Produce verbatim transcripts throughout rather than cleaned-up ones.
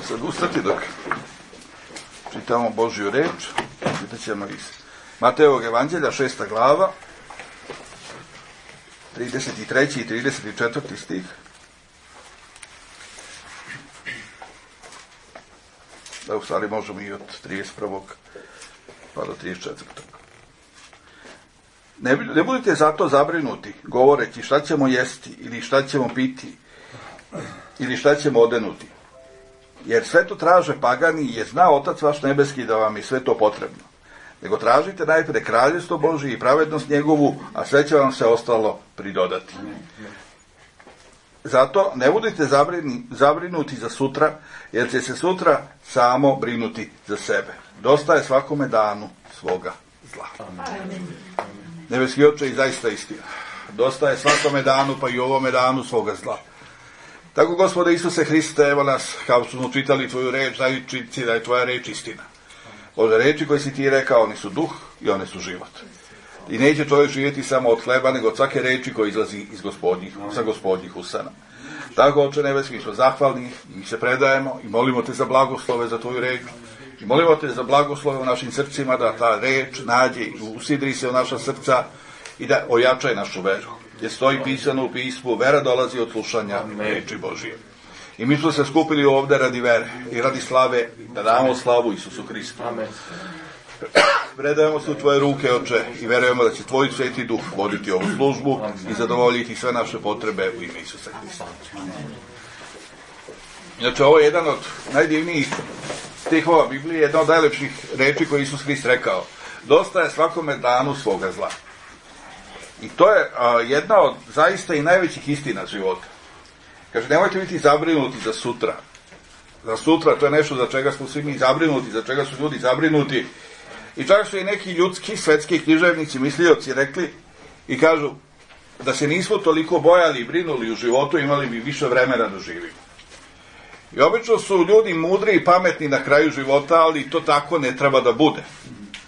sad ustati dok čitamo Božju reč. Čitat ćemo iz Matejevog evanđelja, šesta glava, trideset treći i trideset četvrti stih. Da, u stvari možemo i od trideset prvog pa do trideset četvrtog. Ne, ne budite zato zabrinuti, govoreći šta ćemo jesti, ili šta ćemo piti, ili šta ćemo odenuti. Jer sve to traže pagani, jer zna Otac vaš nebeski da vam je sve to potrebno. Nego tražite najpre kraljevstvo Božje i pravednost njegovu, a sve će vam se ostalo pridodati. Zato ne budite zabrini, zabrinuti za sutra, jer će se sutra samo brinuti za sebe. Dosta je svakome danu svoga zla. Nebeski Oče, i zaista istina. Dosta je svakome danu, pa i ovome danu svoga zla. Tako, Gospode Isuse Hriste, evo nas, kao što smo čitali tvoju reč, znajući da je tvoja reč istina. Bože, reči koje si ti rekao, oni su duh i one su život. I neće čovjek živjeti samo od hleba, nego od svake reči koja izlazi iz gospodnjih, sa gospodnjih usana. Tako, Oče nebeski, smo zahvalni i mi se predajemo i molimo te za blagoslove za tvoju reč. I molimo te za blagoslove u našim srcima, da ta reč nađe i usidri se u naša srca i da ojačaje našu veru. Jer stoji pisano u pismu, vera dolazi od slušanja reči Božije. I mi smo se skupili ovdje radi vere i radi slave, da damo slavu Isusu Hristu. Amen. Predajemo se u tvoje ruke, Oče, i verujemo da će tvoj Sveti Duh voditi ovu službu i zadovoljiti sve naše potrebe u ime Isusa Hrista. Znači, ovo je jedan od najdivnijih stihova Biblije, jedna od najlepših reči koje Isus Hrist rekao. Dosta je svakome danu svoga zla. I to je a, jedna od zaista i najvećih istina života. Kaže, nemojte biti zabrinuti za sutra. Za sutra, to je nešto za čega smo svi mi zabrinuti, za čega su ljudi zabrinuti. I čak su i neki ljudski, svetski književnici, mislioci rekli i kažu da se nismo toliko bojali i brinuli u životu, imali bi više vremena da živimo. I obično su ljudi mudri i pametni na kraju života, ali to tako ne treba da bude.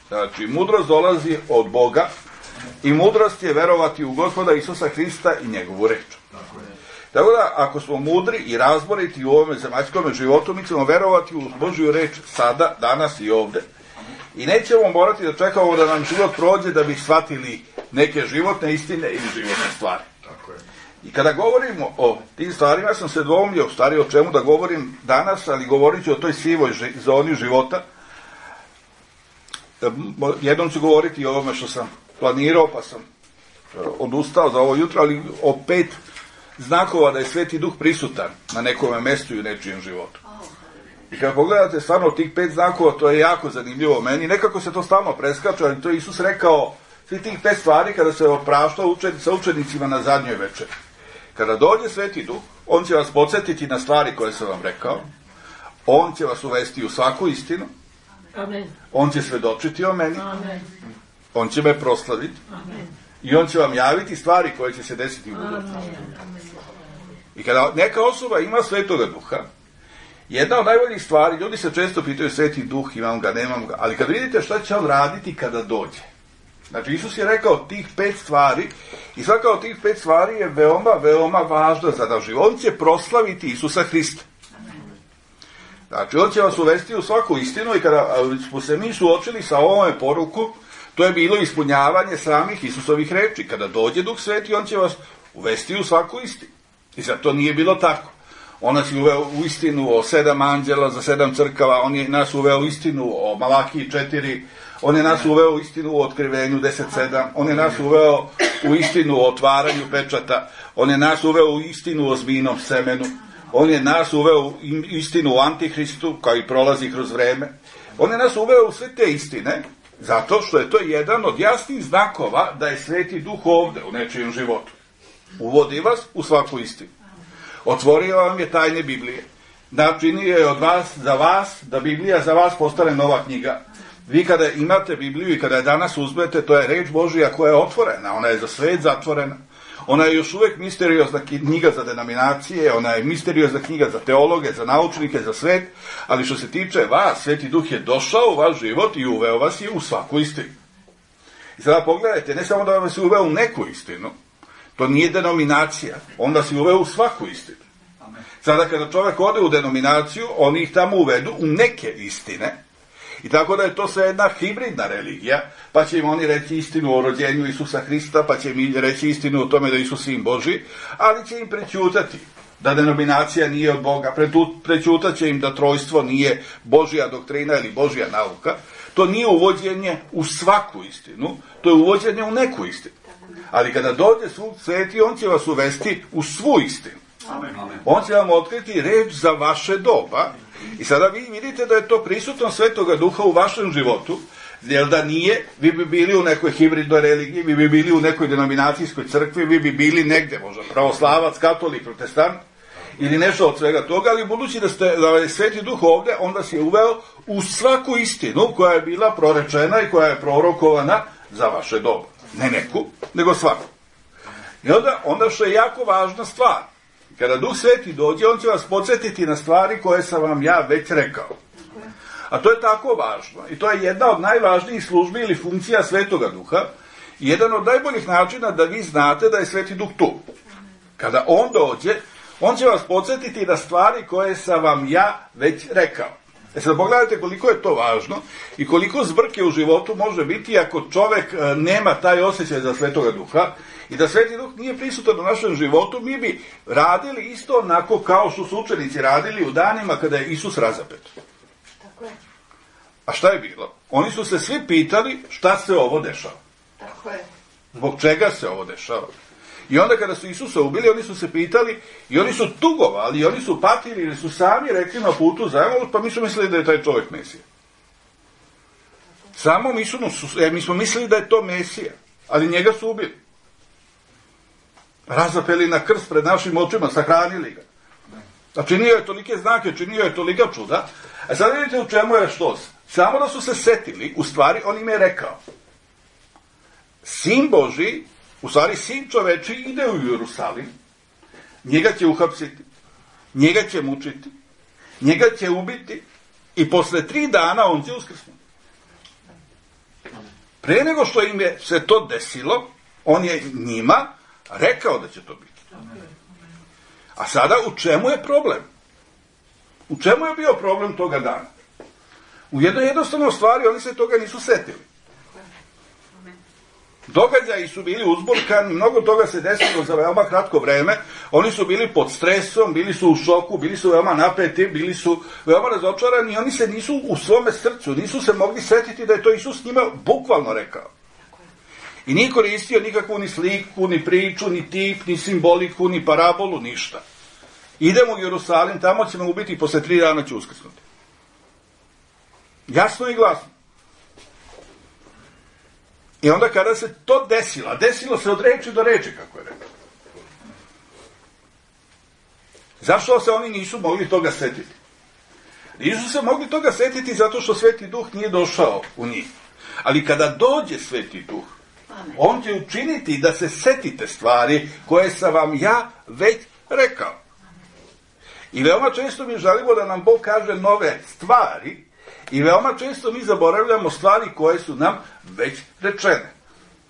Znači, mudrost dolazi od Boga i mudrost je verovati u Gospoda Isusa Hrista i njegovu reč. Tako da, ako smo mudri i razboriti u ovome zemaljskom životu, mi ćemo verovati u Božju reč sada, danas i ovde. I nećemo morati da čekamo da nam život prođe da bi shvatili neke životne istine ili životne stvari. Tako je. I kada govorimo o tim stvarima, sam se dvoumio, stvari o čemu da govorim danas, ali govorit ću o toj sivoj zoni života. Jednom ću govoriti o ovome što sam planirao, pa sam odustao za ovo jutro, ali o pet znakova da je Sveti Duh prisutan na nekome mestu i u nečijem životu. I kada pogledate stvarno tih pet znakova, to je jako zanimljivo meni. Nekako se to stalno preskače, ali to je Isus rekao, svi tih pet stvari kada se opraštao učen, sa učenicima na zadnjoj večeri. Kada dođe Sveti Duh, on će vas podsjetiti na stvari koje sam vam rekao, on će vas uvesti u svaku istinu, Amen. On će svedočiti o meni, Amen. On će me proslaviti, Amen. I on će vam javiti stvari koje će se desiti u budućnosti. I kada neka osoba ima Svetoga Duha, jedna od najboljih stvari, ljudi se često pitaju Sveti Duh, imam ga, nemam ga, ali kad vidite šta će on raditi kada dođe. Znači, Isus je rekao tih pet stvari i svaka od tih pet stvari je veoma, veoma važna za naš život. On će proslaviti Isusa Hrista. Znači, on će vas uvesti u svaku istinu i kada smo se mi suočili sa ovome poruku, to je bilo ispunjavanje samih Isusovih reči. Kada dođe Duh Sveti, on će vas uvesti u svaku istinu. I sad to nije bilo tako. On nas je uveo u istinu o sedam anđela za sedam crkava, on je nas uveo u istinu o Malakiji četiri, on je nas uveo u istinu o otkrivenju deset sedam, on je nas uveo u istinu o otvaranju pečata, on je nas uveo u istinu o zmijnom semenu, on je nas uveo u istinu o Antihristu, koji prolazi kroz vreme. On je nas uveo u sve te istine, zato što je to jedan od jasnih znakova da je Sveti Duh ovde u nečijem životu. Uvodi vas u svaku istinu. Otvorio vam je tajne Biblije. Načinio je od vas, za vas, da Biblija za vas postane nova knjiga. Vi kada imate Bibliju i kada je danas uzmete, to je reč Božija koja je otvorena. Ona je za svet zatvorena. Ona je još uvek misteriozna knjiga za denominacije, ona je misteriozna knjiga za teologe, za naučnike, za svet, ali što se tiče vas, Sveti Duh je došao u vaš život i uveo vas je u svaku istinu. I sada pogledajte, ne samo da vas je uveo u neku istinu, to nije denominacija, on vas je uveo u svaku istinu. Sada kada čovjek ode u denominaciju, oni ih tamo uvedu u neke istine, i tako da je to sve jedna hibridna religija, pa će im oni reći istinu o rođenju Isusa Hrista, pa će im reći istinu o tome da je Isus sin Božji, ali će im prećutati da denominacija nije od Boga, prećutat će im da trojstvo nije Božja doktrina ili Božja nauka. To nije uvođenje u svaku istinu, to je uvođenje u neku istinu. Ali kada dođe Duh Sveti, on će vas uvesti u svu istinu. On će vam otkriti reč za vaše doba. I sada vi vidite da je to prisutno Svetoga Duha u vašem životu, jer da nije, vi bi bili u nekoj hibridnoj religiji, vi bi bili u nekoj denominacijskoj crkvi, vi bi bili negde, možda pravoslavac, katolik, protestant, ili nešto od svega toga, ali budući da, ste, da je Sveti Duh ovde, on vas je uveo u svaku istinu koja je bila prorečena i koja je prorokovana za vaše doba. Ne neku, nego svaku. I onda, onda što je jako važna stvar, kada Duh Sveti dođe, on će vas podsjetiti na stvari koje sam vam ja već rekao. A to je tako važno. I to je jedna od najvažnijih službi ili funkcija Svetoga Duha. I jedan od najboljih načina da vi znate da je Sveti Duh tu. Kada on dođe, on će vas podsjetiti na stvari koje sam vam ja već rekao. E sad pogledajte koliko je to važno i koliko zbrke u životu može biti ako čovek nema taj osjećaj za Svetoga Duha i da Sveti Duh nije prisutan u našem životu, mi bi radili isto onako kao što su učenici radili u danima kada je Isus razapet. Tako je. A šta je bilo? Oni su se svi pitali šta se ovo dešava. Tako je. Zbog čega se ovo dešava? I onda kada su Isusa ubili, oni su se pitali i oni su tugovali, i oni su patili, ili su sami rekli na putu za Emaus, pa mi su mislili da je taj čovjek Mesija. Samo mi, su, mi smo mislili da je to Mesija, ali njega su ubili. Razapeli na krst pred našim očima, sahranili ga. A činio je tolike znake, činio je tolika čuda. A sad vidite u čemu je što. Samo da su se setili, u stvari on im je rekao. Sin Božji, u stvari sin čoveči, ide u Jerusalim, njega će uhapsiti, njega će mučiti, njega će ubiti i posle tri dana on će uskrsnuti. Pre nego što im je se to desilo, on je njima rekao da će to biti. A sada u čemu je problem? U čemu je bio problem toga dana? U jednoj jednostavnoj stvari oni se toga nisu setili. Događaji su bili uzburkani, mnogo toga se desilo za veoma kratko vreme, oni su bili pod stresom, bili su u šoku, bili su veoma napeti, bili su veoma razočarani i oni se nisu u svome srcu, nisu se mogli setiti da je to Isus njima bukvalno rekao. I nije koristio nikakvu ni sliku, ni priču, ni tip, ni simboliku, ni parabolu, ništa. Idemo u Jerusalim, tamo ćemo ubiti i posle tri dana će uskrsnuti. Jasno i glasno. I onda kada se to desilo, a desilo se od reči do reči, kako je rekao. Zašto se oni nisu mogli toga setiti? Nisu se mogli toga setiti zato što Sveti Duh nije došao u njih. Ali kada dođe Sveti Duh, on će učiniti da se setite stvari koje sam vam ja već rekao. I veoma često mi želimo da nam Bog kaže nove stvari, i veoma često mi zaboravljamo stvari koje su nam već rečene.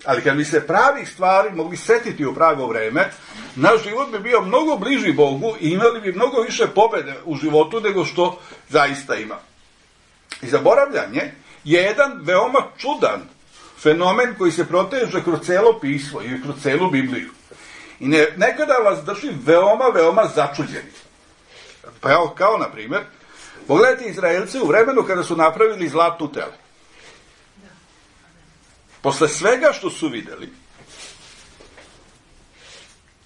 Ali kad bi se pravih stvari mogli setiti u pravo vreme, naš život bi bio mnogo bliži Bogu i imali bi mnogo više pobede u životu nego što zaista ima. I zaboravljanje je jedan veoma čudan fenomen koji se proteže kroz celo pismo i kroz celu Bibliju. I ne, nekada vas drži veoma, veoma začuđeni. Pa evo, kao na primjer, pogledajte Izraelce u vremenu kada su napravili zlatnu tele. Posle svega što su videli,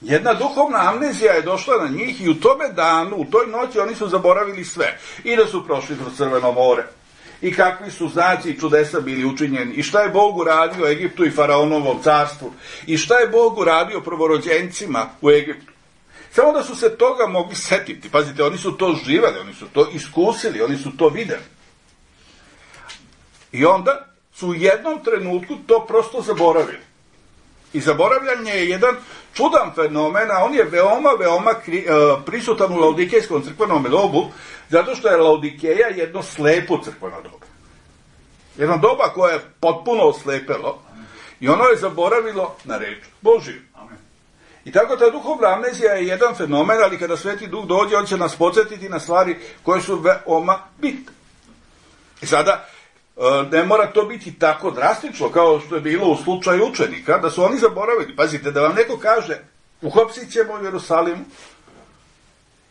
jedna duhovna amnezija je došla na njih i u tome danu, u toj noći oni su zaboravili sve. I da su prošli kroz Crveno more. I kakvi su znaci i čudesa bili učinjeni. I šta je Bog uradio Egiptu i faraonovom carstvu. I šta je Bog uradio prvorođencima u Egiptu. Samo da su se toga mogli setiti. Pazite, oni su to živeli, oni su to iskusili, oni su to videli. I onda su u jednom trenutku to prosto zaboravili. I zaboravljanje je jedan čudan fenomen, a on je veoma, veoma kri, uh, prisutan u laodikejskom crkvenom dobu, zato što je Laodikeja jedno slepo crkveno doba. Jedno doba koje je potpuno oslepelo i ono je zaboravilo na reč Božiju. I tako ta duhovna amnezija je jedan fenomen, ali kada Sveti Duh dođe, on će nas podsjetiti na stvari koje su veoma bitne. I sada, ne mora to biti tako drastično kao što je bilo u slučaju učenika, da su oni zaboravili. Pazite, da vam neko kaže, uhapsit ćemo u Jerusalimu,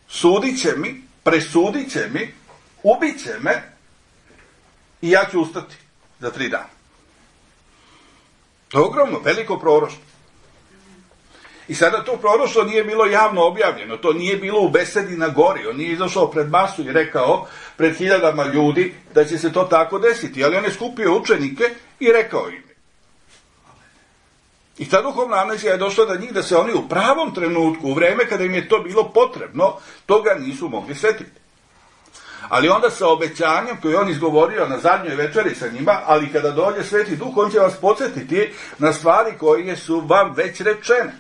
sudit će mi, presudit će mi, ubit će me i ja ću ustati za tri dana. To je ogromno, veliko proroštvo. I sada to proroštvo nije bilo javno objavljeno, to nije bilo u besedi na gori, on nije izašao pred masu i rekao pred hiljadama ljudi da će se to tako desiti, ali on je skupio učenike i rekao im. I ta duhovna amnezija je došla do njih da se oni u pravom trenutku, u vreme kada im je to bilo potrebno, toga nisu mogli setiti. Ali onda sa obećanjem koje on izgovorio na zadnjoj večeri sa njima, ali kada dođe Sveti Duh, on će vas podsjetiti na stvari koje su vam već rečene.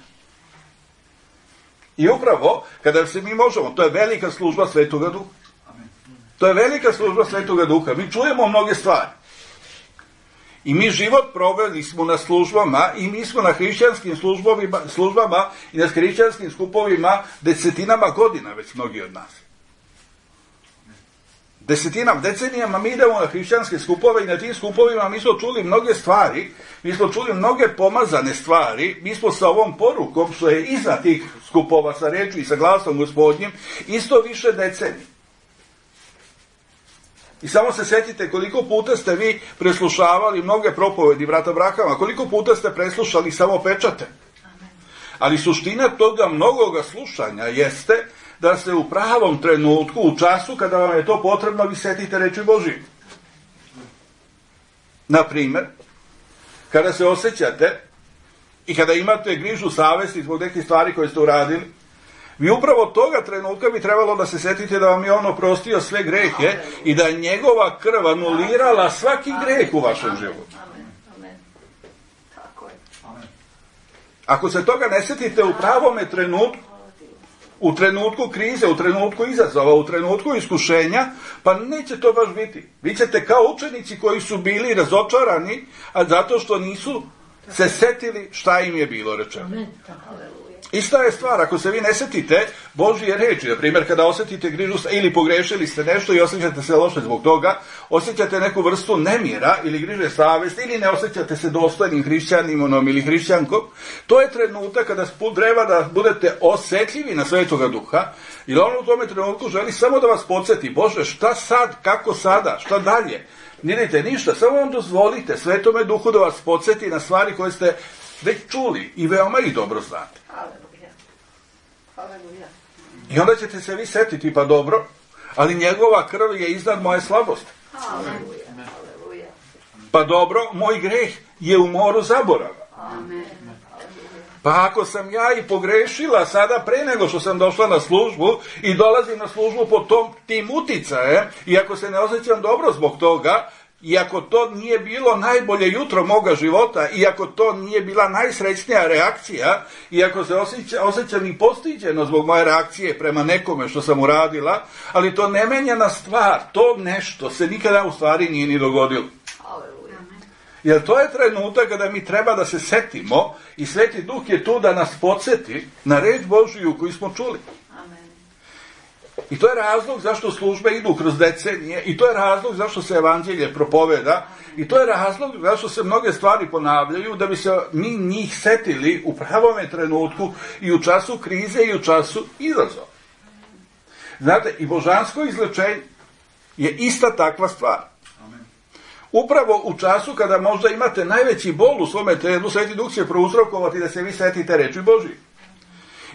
I upravo, kada se mi možemo, to je velika služba Svetoga Duha. To je velika služba Svetoga Duha. Mi čujemo mnoge stvari. I mi život proveli smo na službama i mi smo na hrišćanskim službama i na hrišćanskim skupovima desetinama godina, već mnogi od nas. Desetinama, decenijama mi idemo na hrišćanske skupove i na tim skupovima mi smo čuli mnoge stvari, mi smo čuli mnoge pomazane stvari, mi smo sa ovom porukom, što je iza tih skupova sa rečju i sa glasom Gospodnjim, isto više decenije. I samo se sjetite koliko puta ste vi preslušavali mnoge propovedi brata Brahama, koliko puta ste preslušali samo pečate. Ali suština toga mnogoga slušanja jeste da se u pravom trenutku, u času kada vam je to potrebno, vi setite reči Božije. Na primjer, kada se osjećate i kada imate grižu savesti zbog nekih stvari koje ste uradili, vi upravo toga trenutka bi trebalo da se setite da vam je on oprostio sve grehe i da je njegova krv anulirala svaki greh u vašem životu. Ako se toga ne setite u pravome trenutku, u trenutku krize, u trenutku izazova, u trenutku iskušenja, pa neće to baš biti. Vi ćete kao učenici koji su bili razočarani, a zato što nisu se setili šta im je bilo rečeno. Ista je stvar, ako se vi ne setite Božje reči, na primjer kada osjetite grižu ili pogrešili ste nešto i osjećate se loše zbog toga, osjećate neku vrstu nemira ili griže savesti ili ne osjećate se dostojnim hrišćaninom ili hrišćankom, to je trenutak kada treba da budete osjetljivi na Svetoga Duha, jer on u tome trenutku želi samo da vas podsjeti, Bože, šta sad, kako sada, šta dalje? Nidite ništa, samo vam dozvolite Svetome Duhu da vas podsjeti na stvari koje ste već čuli i veoma ih dobro znate. Aleluja. Aleluja. I onda ćete se vi setiti, pa dobro, ali njegova krv je iznad moje slabosti. Aleluja. Aleluja. Pa dobro, moj greh je u moru zaborava. Amen. Pa ako sam ja i pogrešila sada pre nego što sam došla na službu i dolazim na službu pod tom, tim uticajem i ako se ne osjećam dobro zbog toga, i ako to nije bilo najbolje jutro moga života, i ako to nije bila najsrećnija reakcija, i ako se osjeća, osjećam i postiđeno zbog moje reakcije prema nekome što sam uradila, ali to ne menja na stvar, to nešto se nikada u stvari nije ni dogodilo. Jer to je trenutak kada mi treba da se setimo i Sveti Duh je tu da nas podsjeti na reč Božiju koju smo čuli. I to je razlog zašto službe idu kroz decenije, i to je razlog zašto se evanđelje propoveda, i to je razlog zašto se mnoge stvari ponavljaju, da bi se mi njih setili u pravome trenutku i u času krize i u času izazova. Znate, i božansko izlečenje je ista takva stvar. Upravo u času kada možda imate najveći bol u svome telu, Sveti Duh će prouzrokovati da se vi setite reči Božije.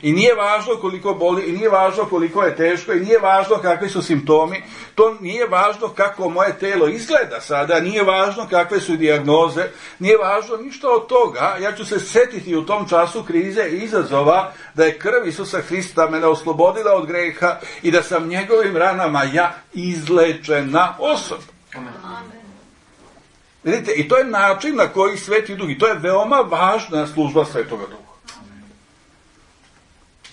I nije važno koliko boli, i nije važno koliko je teško, i nije važno kakvi su simptomi, to nije važno kako moje telo izgleda sada, nije važno kakve su dijagnoze, nije važno ništa od toga. Ja ću se setiti u tom času krize i izazova da je krv Isusa Hrista mene oslobodila od greha i da sam njegovim ranama ja izlečena osoba. Amen. Vidite, i to je način na koji Sveti Duh, i to je veoma važna služba Svetoga Duha.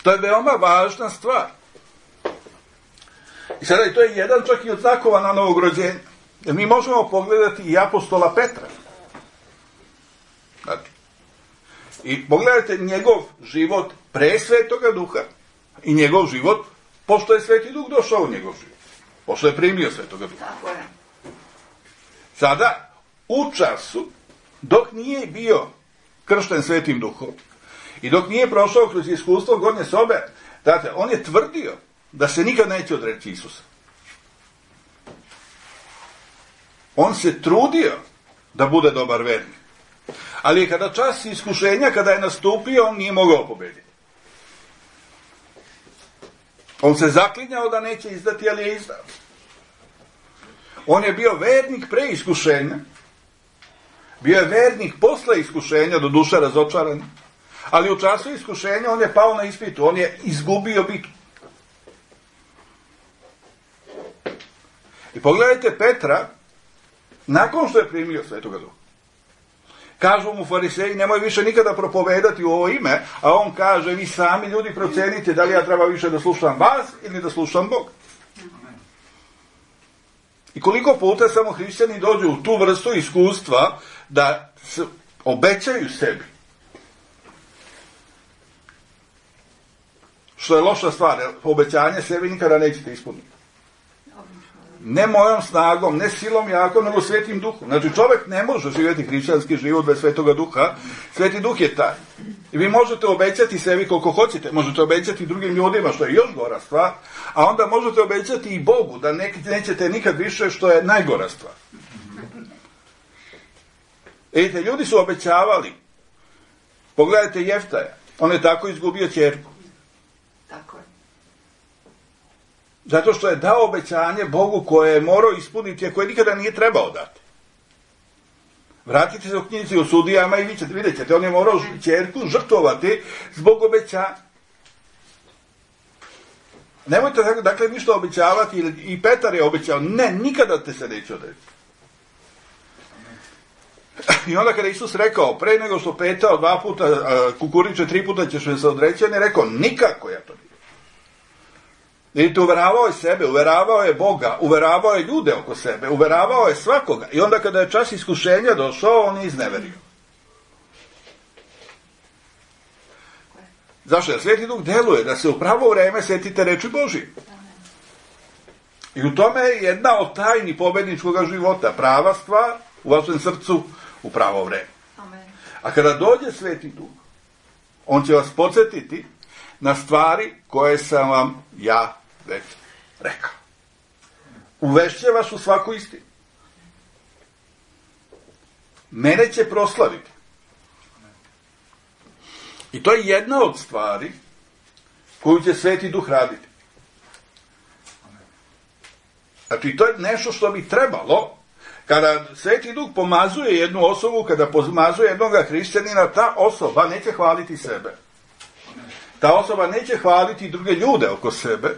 To je veoma važna stvar. I sada i to je jedan čak i od znakova na novog rođenja. Jer mi možemo pogledati i apostola Petra. Znači, I pogledajte njegov život pre Svetoga Duha i njegov život pošto je Sveti Duh došao u njegov život. Pošto je primio Svetoga Duha. Tako je. Sada, u času, dok nije bio kršten Svetim Duhom i dok nije prošao kroz iskustvo gornje sobe, znate, on je tvrdio da se nikad neće odreći Isusa. On se trudio da bude dobar vernik. Ali kada čas iskušenja, kada je nastupio, on nije mogao pobediti. On se zaklinjao da neće izdati, ali je izdao. On je bio vernik pre iskušenja. Bio je vernik posle iskušenja, do duše razočaran. Ali u času iskušenja on je pao na ispitu. On je izgubio bitku. I pogledajte Petra, nakon što je primio Svetoga Duha. Kažu mu fariseji, nemoj više nikada propovedati u ovo ime, a on kaže, vi sami ljudi procenite da li ja treba više da slušam vas ili da slušam Bog. I koliko puta samo hrišćani dođu u tu vrstu iskustva da se obećaju sebi. Što je loša stvar, obećanje sebi nikada nećete ispuniti. Ne mojom snagom, ne silom jakom, nego Svetim Duhom. Znači čovjek ne može živjeti hrišćanski život bez Svetoga Duha. Sveti Duh je taj. I vi možete obećati sebi koliko hoćete, možete obećati drugim ljudima, što je još gora stvar, a onda možete obećati i Bogu da ne, nećete nikad više, što je najgora stvar. Vidite, ljudi su obećavali. Pogledajte Jeftaja, on je tako izgubio ćerku. Tako je. Zato što je dao obećanje Bogu koje je morao ispuniti, a koje nikada nije trebao dati. Vratite se u knjizi o sudijama i vi ćete, vidjet ćete, on je morao ćerku žrtvovati zbog obećanja. Nemojte, dakle, ništa obećavati, i Petar je obećao, ne, nikada te se neće odreći. I onda kada Isus rekao, pre nego što petao dva puta, kukuriče tri puta ćeš me se odreći, on je rekao, nikako ja to nije. Vidite, uveravao je sebe, uveravao je Boga, uveravao je ljude oko sebe, uveravao je svakoga. I onda kada je čas iskušenja došao, on je izneverio. Zašto? Jer Sveti Duh deluje da se u pravo vreme setite reči Božije. I u tome je jedna od tajni pobedničkog života. Prava stvar u vašem srcu u pravo vreme. A kada dođe Sveti Duh, on će vas podsjetiti na stvari koje sam vam ja već rekao. Uvešće vas u svaku istinu. Mene će proslaviti. I to je jedna od stvari koju će Sveti Duh raditi. Znači, to je nešto što bi trebalo, kada Sveti Duh pomazuje jednu osobu, kada pomazuje jednog hrišćanina, ta osoba neće hvaliti sebe. Ta osoba neće hvaliti druge ljude oko sebe.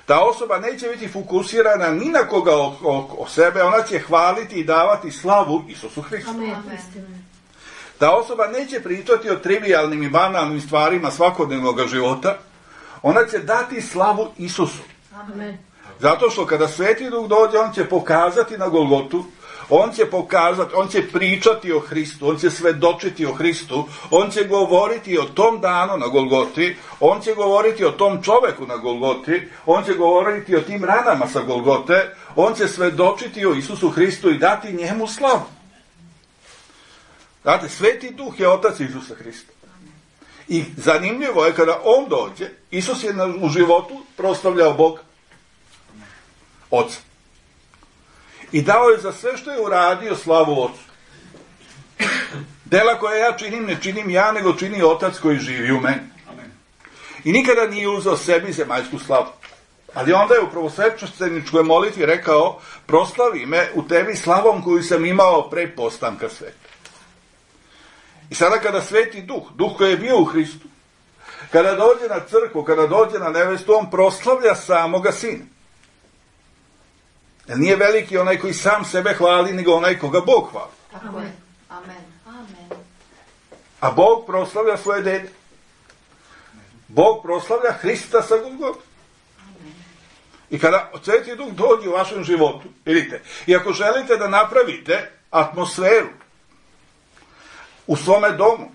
Ta osoba neće biti fokusirana ni na koga oko sebe, ona će hvaliti i davati slavu Isusu Hristu. Ta osoba neće pričati o trivijalnim i banalnim stvarima svakodnevnog života, ona će dati slavu Isusu. Amen. Zato što kada Sveti Duh dođe, on će pokazati na Golgotu, on će pokazati, on će pričati o Hristu, on će svedočiti o Hristu, on će govoriti o tom danu na Golgoti, on će govoriti o tom čoveku na Golgoti, on će govoriti o tim ranama sa Golgote, on će svedočiti o Isusu Hristu i dati njemu slavu. Znate, Sveti Duh je otac Isusa Hrista. I zanimljivo je kada on dođe, Isus je u životu proslavljao Boga, Oca. I dao je za sve što je uradio slavu Ocu. Dela koje ja činim, ne činim ja, nego čini Otac koji živi u meni. I nikada nije uzeo sebi zemaljsku slavu. Ali onda je u prvosvećeničkoj molitvi rekao, proslavi me u tebi slavom koju sam imao pre postanka sveta. I sada kada Sveti Duh, Duh koji je bio u Hristu, kada dođe na crkvu, kada dođe na nevestu, on proslavlja samoga Sina. Jer nije veliki onaj koji sam sebe hvali, nego onaj koga Bog hvali. Amen. Amen. Amen. A Bog proslavlja svoje dete. Bog proslavlja Hrista sa Golgote. I kada Sveti Duh dođe u vašem životu, vidite, i ako želite da napravite atmosferu u svome domu,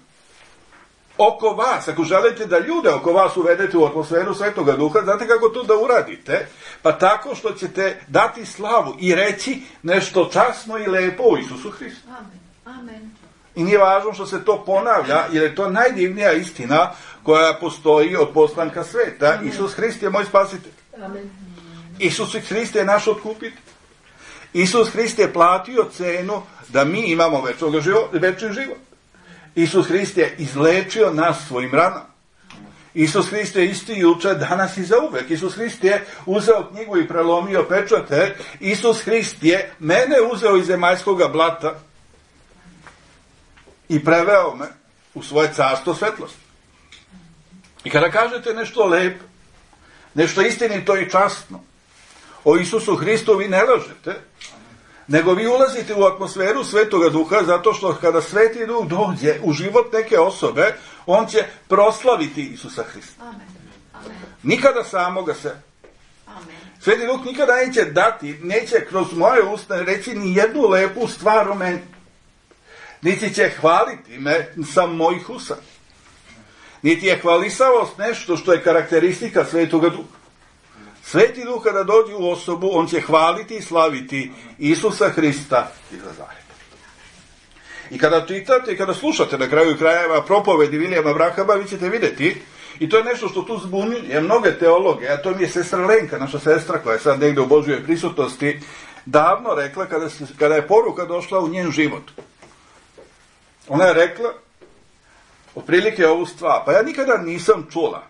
oko vas, ako želite da ljude oko vas uvedete u atmosferu Svetoga Duha, znate kako to da uradite? Pa tako što ćete dati slavu i reći nešto časno i lepo o Isusu Hristu. Amen. Amen. I nije važno što se to ponavlja, jer je to najdivnija istina koja postoji od postanka sveta. Amen. Isus Hrist je moj spasitelj. Amen. Isus Hrist je naš otkupitelj. Isus Hrist je platio cenu da mi imamo večni život. Isus Hrist je izlečio nas svojim ranama. Isus Hrist je isti juče, danas i zauvek. Isus Hrist je uzeo knjigu i prelomio pečate. Isus Hrist je mene uzeo iz zemaljskog blata i preveo me u svoje carstvo svetlosti. I kada kažete nešto lepo, nešto istinito i časno o Isusu Hristu, vi ne lažete, nego vi ulazite u atmosferu Svetoga Duha, zato što kada Sveti Duh dođe u život neke osobe, on će proslaviti Isusa Hrista. Amen. Amen. Nikada samoga se. Amen. Sveti Duh nikada neće dati, neće kroz moje usta reći ni jednu lepu stvar o meni. Niti će hvaliti me sa mojih usta. Niti je hvalisavost nešto što je karakteristika Svetoga Duha. Sveti Duh kada dođe u osobu, on će hvaliti i slaviti Isusa Hrista iz Nazareta. I kada čitate i kada slušate na kraju krajeva propovedi Vilijama Brahama, vi ćete vidjeti, i to je nešto što tu zbunjuje mnoge teologe, a to mi je sestra Lenka, naša sestra koja je sad negdje u Božjoj prisutnosti, davno rekla kada, se, kada je poruka došla u njen život. Ona je rekla otprilike ovu stvar, pa ja nikada nisam čula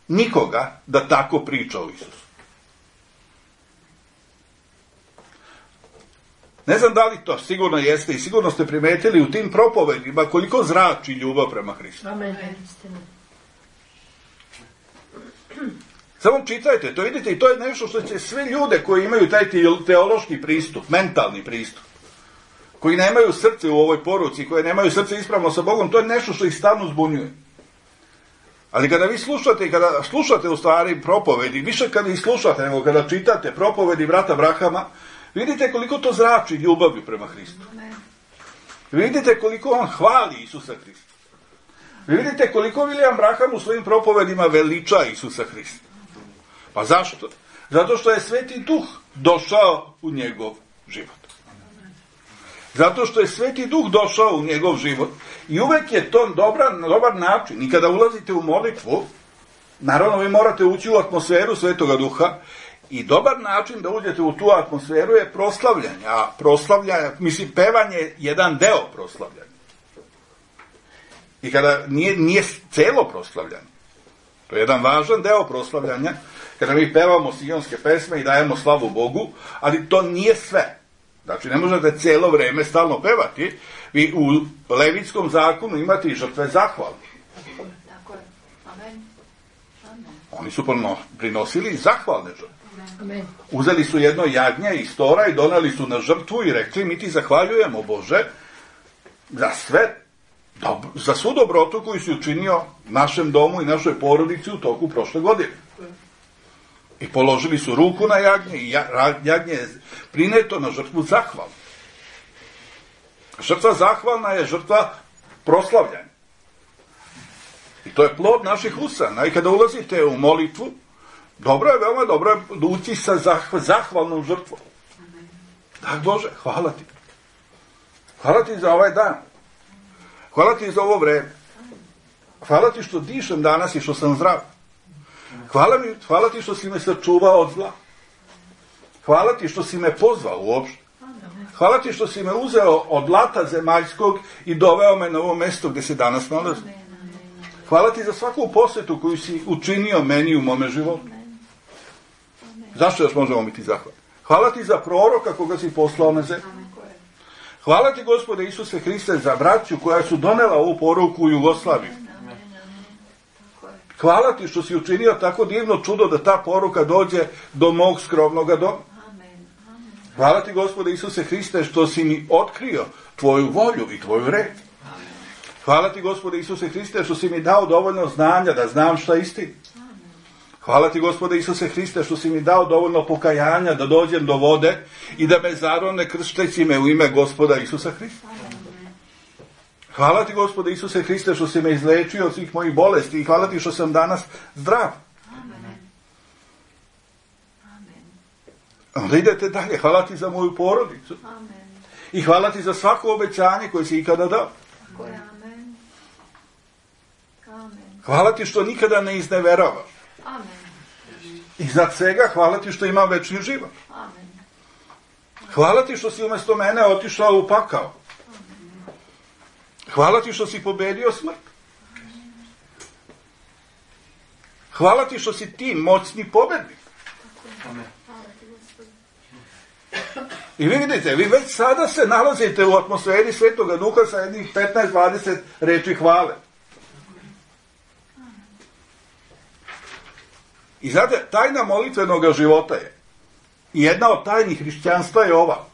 nikoga da tako priča o Isusu. Ne znam da li to sigurno jeste i sigurno ste primetili u tim propovedima koliko zrači ljubav prema Hristu. Amen. Samo čitajte, to vidite i to je nešto što će sve ljude koji imaju taj teološki pristup, mentalni pristup, koji nemaju srce u ovoj poruci, koji nemaju srce ispravno sa Bogom, to je nešto što ih stalno zbunjuje. Ali kada vi slušate i kada slušate u stvari propovedi, više kada ih slušate nego kada čitate propovedi brata Brahama, vidite koliko to zrači ljubavi prema Hristu. Vidite koliko on hvali Isusa Hrista. Vidite koliko Vilijam Braham u svojim propovedima veliča Isusa Hrista. Pa zašto? Zato što je Sveti Duh došao u njegov život. Zato što je Sveti Duh došao u njegov život i uvek je to dobar, dobar način. I kada ulazite u molitvu, naravno vi morate ući u atmosferu Svetoga Duha i dobar način da uđete u tu atmosferu je proslavljanje. A proslavljanje, mislim, pevanje je jedan deo proslavljanja. I kada nije, nije celo proslavljanje. To je jedan važan deo proslavljanja, kada mi pevamo sionske pesme i dajemo slavu Bogu, ali to nije sve. Znači, ne možete cijelo vrijeme stalno pevati. Vi u Levitskom zakonu imate i žrtve zahvalne. Tako je. Amen. Amen. Oni su prinosili zahvalne žrtve. Amen. Uzeli su jedno jagnje iz tora i donali su na žrtvu i rekli, mi ti zahvaljujemo, Bože, za sve, za svu dobrotu koju si učinio našem domu i našoj porodici u toku prošle godine. I položili su ruku na jagnje i jagnje je prineto na žrtvu zahvalnu. Žrtva zahvalna je žrtva proslavljanja. I to je plod naših usana. I kada ulazite u molitvu, dobro je, veoma dobro je ući sa zah- zahvalnom žrtvom. Tak Bože, hvala ti. Hvala ti za ovaj dan. Hvala ti za ovo vreme. Hvala ti što dišem danas i što sam zdrav. Hvala, mi, hvala ti što si me sačuvao od zla. Hvala ti što si me pozvao uopšte. Hvala ti što si me uzeo od lata zemaljskog i doveo me na ovo mjesto gdje se danas nalazim. Hvala ti za svaku posvetu koju si učinio meni u mome životu. Zašto još možemo biti zahvalni? Hvala ti za proroka koga si poslao na zemlju. Hvala ti, Gospode Isuse Hriste, za braću koja su donela ovu poruku u Jugoslaviju. Hvala ti što si učinio tako divno čudo da ta poruka dođe do mog skromnog doma. Hvala ti, Gospode Isuse Hriste, što si mi otkrio tvoju volju i tvoju red. Hvala ti, Gospode Isuse Hriste, što si mi dao dovoljno znanja da znam šta je istina. Hvala ti, Gospode Isuse Hriste, što si mi dao dovoljno pokajanja da dođem do vode i da me zarone kršteći me u ime Gospoda Isusa Hrista. Hvala ti, Gospode Isuse Hriste, što si me izlečio od svih mojih bolesti i hvala ti što sam danas zdrav. Amen. Amen. Onda idete dalje. Hvala ti za moju porodicu. Amen. I hvala ti za svako obećanje koje si ikada dao. Tako je, amen. Amen. Hvala ti što nikada ne izneveravaš. Amen. I za svega hvala ti što imam večni život. Amen. Hvala ti što si umjesto mene otišao u pakao. Hvala ti što si pobedio smrt. Hvala ti što si ti moćni pobednik. Amen. Hvala ti, Gospod. I vi vidite, vi već sada se nalazite u atmosferi Svetoga Duha sa jednih petnaest dvadeset reči hvale. I znate, tajna molitvenog života je, i jedna od tajnih hrišćanstva je ova.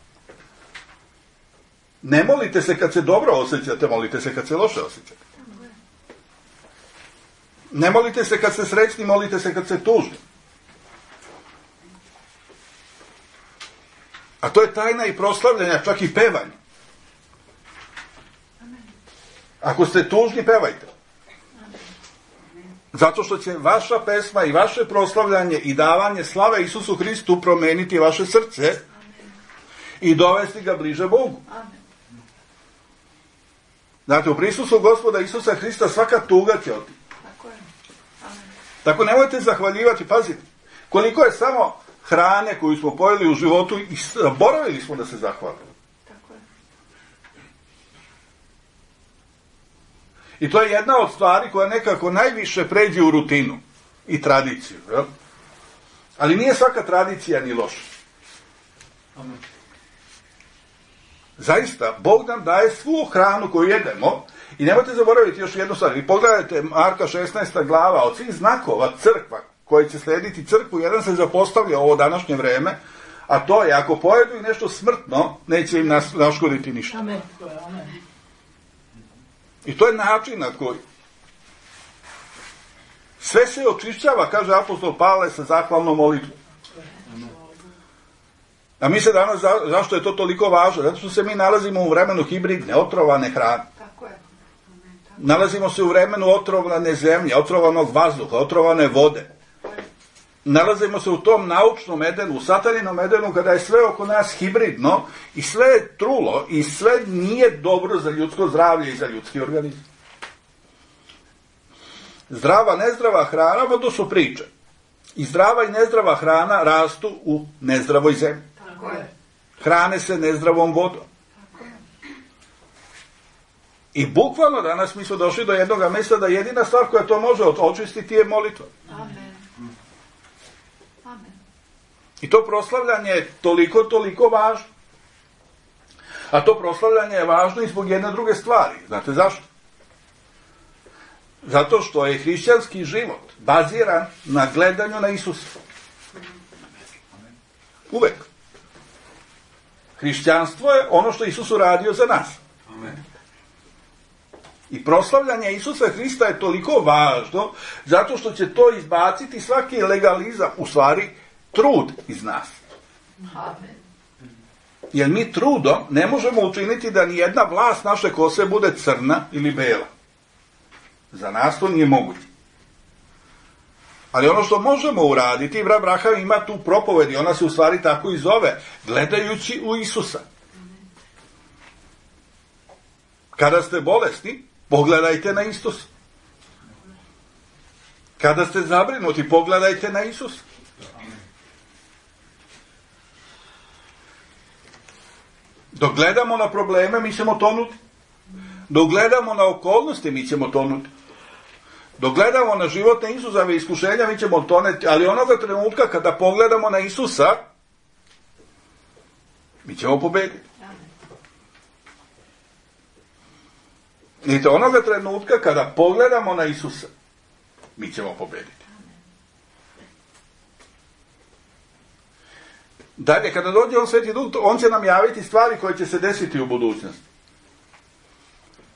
Ne molite se kad se dobro osjećate, molite se kad se loše osjećate. Ne molite se kad ste srećni, molite se kad ste tužni. A to je tajna i proslavljanja, čak i pevanja. Ako ste tužni, pevajte. Zato što će vaša pesma i vaše proslavljanje i davanje slave Isusu Hristu promeniti vaše srce i dovesti ga bliže Bogu. Znate, u prisustvu Gospoda Isusa Hrista svaka tuga će otići. Tako je. Amen. Tako nemojte zahvaljivati, pazite, koliko je samo hrane koju smo pojeli u životu i zaboravili smo da se zahvalimo. Tako je. I to je jedna od stvari koja nekako najviše pređe u rutinu i tradiciju. Jel? Ali nije svaka tradicija ni loša. Amen. Zaista, Bog nam daje svu hranu koju jedemo i nemojte zaboraviti još jednu stvar. Vi pogledajte Marka šesnaesta glava, od svih znakova crkva koji će slijediti crkvu, jedan se zapostavlja ovo današnje vreme, a to je, ako pojedu i nešto smrtno, neće im nas, naškoditi ništa. Amen. I to je način na koji sve se očišćava, kaže apostol Pavle, sa zahvalnom molitvom. A mi se danas, za, zašto je to toliko važno? Zato što se mi nalazimo u vremenu hibridne, otrovane hrane. Tako je. Nalazimo se u vremenu otrovane zemlje, otrovanog vazduha, otrovane vode. Nalazimo se u tom naučnom Edenu, u sataninom Edenu, kada je sve oko nas hibridno i sve je trulo i sve nije dobro za ljudsko zdravlje i za ljudski organizam. Zdrava, nezdrava hrana, to su priče. I zdrava i nezdrava hrana rastu u nezdravoj zemlji. Tako je. Hrane se nezdravom vodom. Tako je. I bukvalno danas mi smo došli do jednog mjesta da jedina stvar koja to može očistiti je molitva. Amen. Amen. I to proslavljanje je toliko, toliko važno. A to proslavljanje je važno i zbog jedne druge stvari. Znate zašto? Zato što je hrišćanski život baziran na gledanju na Isusa. Uvek. Hrišćanstvo je ono što Isus uradio za nas. Amen. I proslavljanje Isusa Hrista je toliko važno zato što će to izbaciti svaki legalizam, u stvari trud iz nas. Amen. Jer mi trudom ne možemo učiniti da ni jedna vlast naše kose bude crna ili bela. Za nas to nije moguće. Ali ono što možemo uraditi, brat Braham ima tu propoved i ona se u stvari tako i zove, gledajući u Isusa. Kada ste bolesni, pogledajte na Isusa. Kada ste zabrinuti, pogledajte na Isusa. Dok gledamo na probleme, mi ćemo tonuti. Dok gledamo na okolnosti, mi ćemo tonuti. Dok gledamo na životne izazove i iskušenja, mi ćemo toneti, ali onoga trenutka kada pogledamo na Isusa, mi ćemo pobediti. Vidite, onoga trenutka kada pogledamo na Isusa, mi ćemo pobediti. Dalje, kada dođe on Sveti Duh, on će nam javiti stvari koje će se desiti u budućnosti.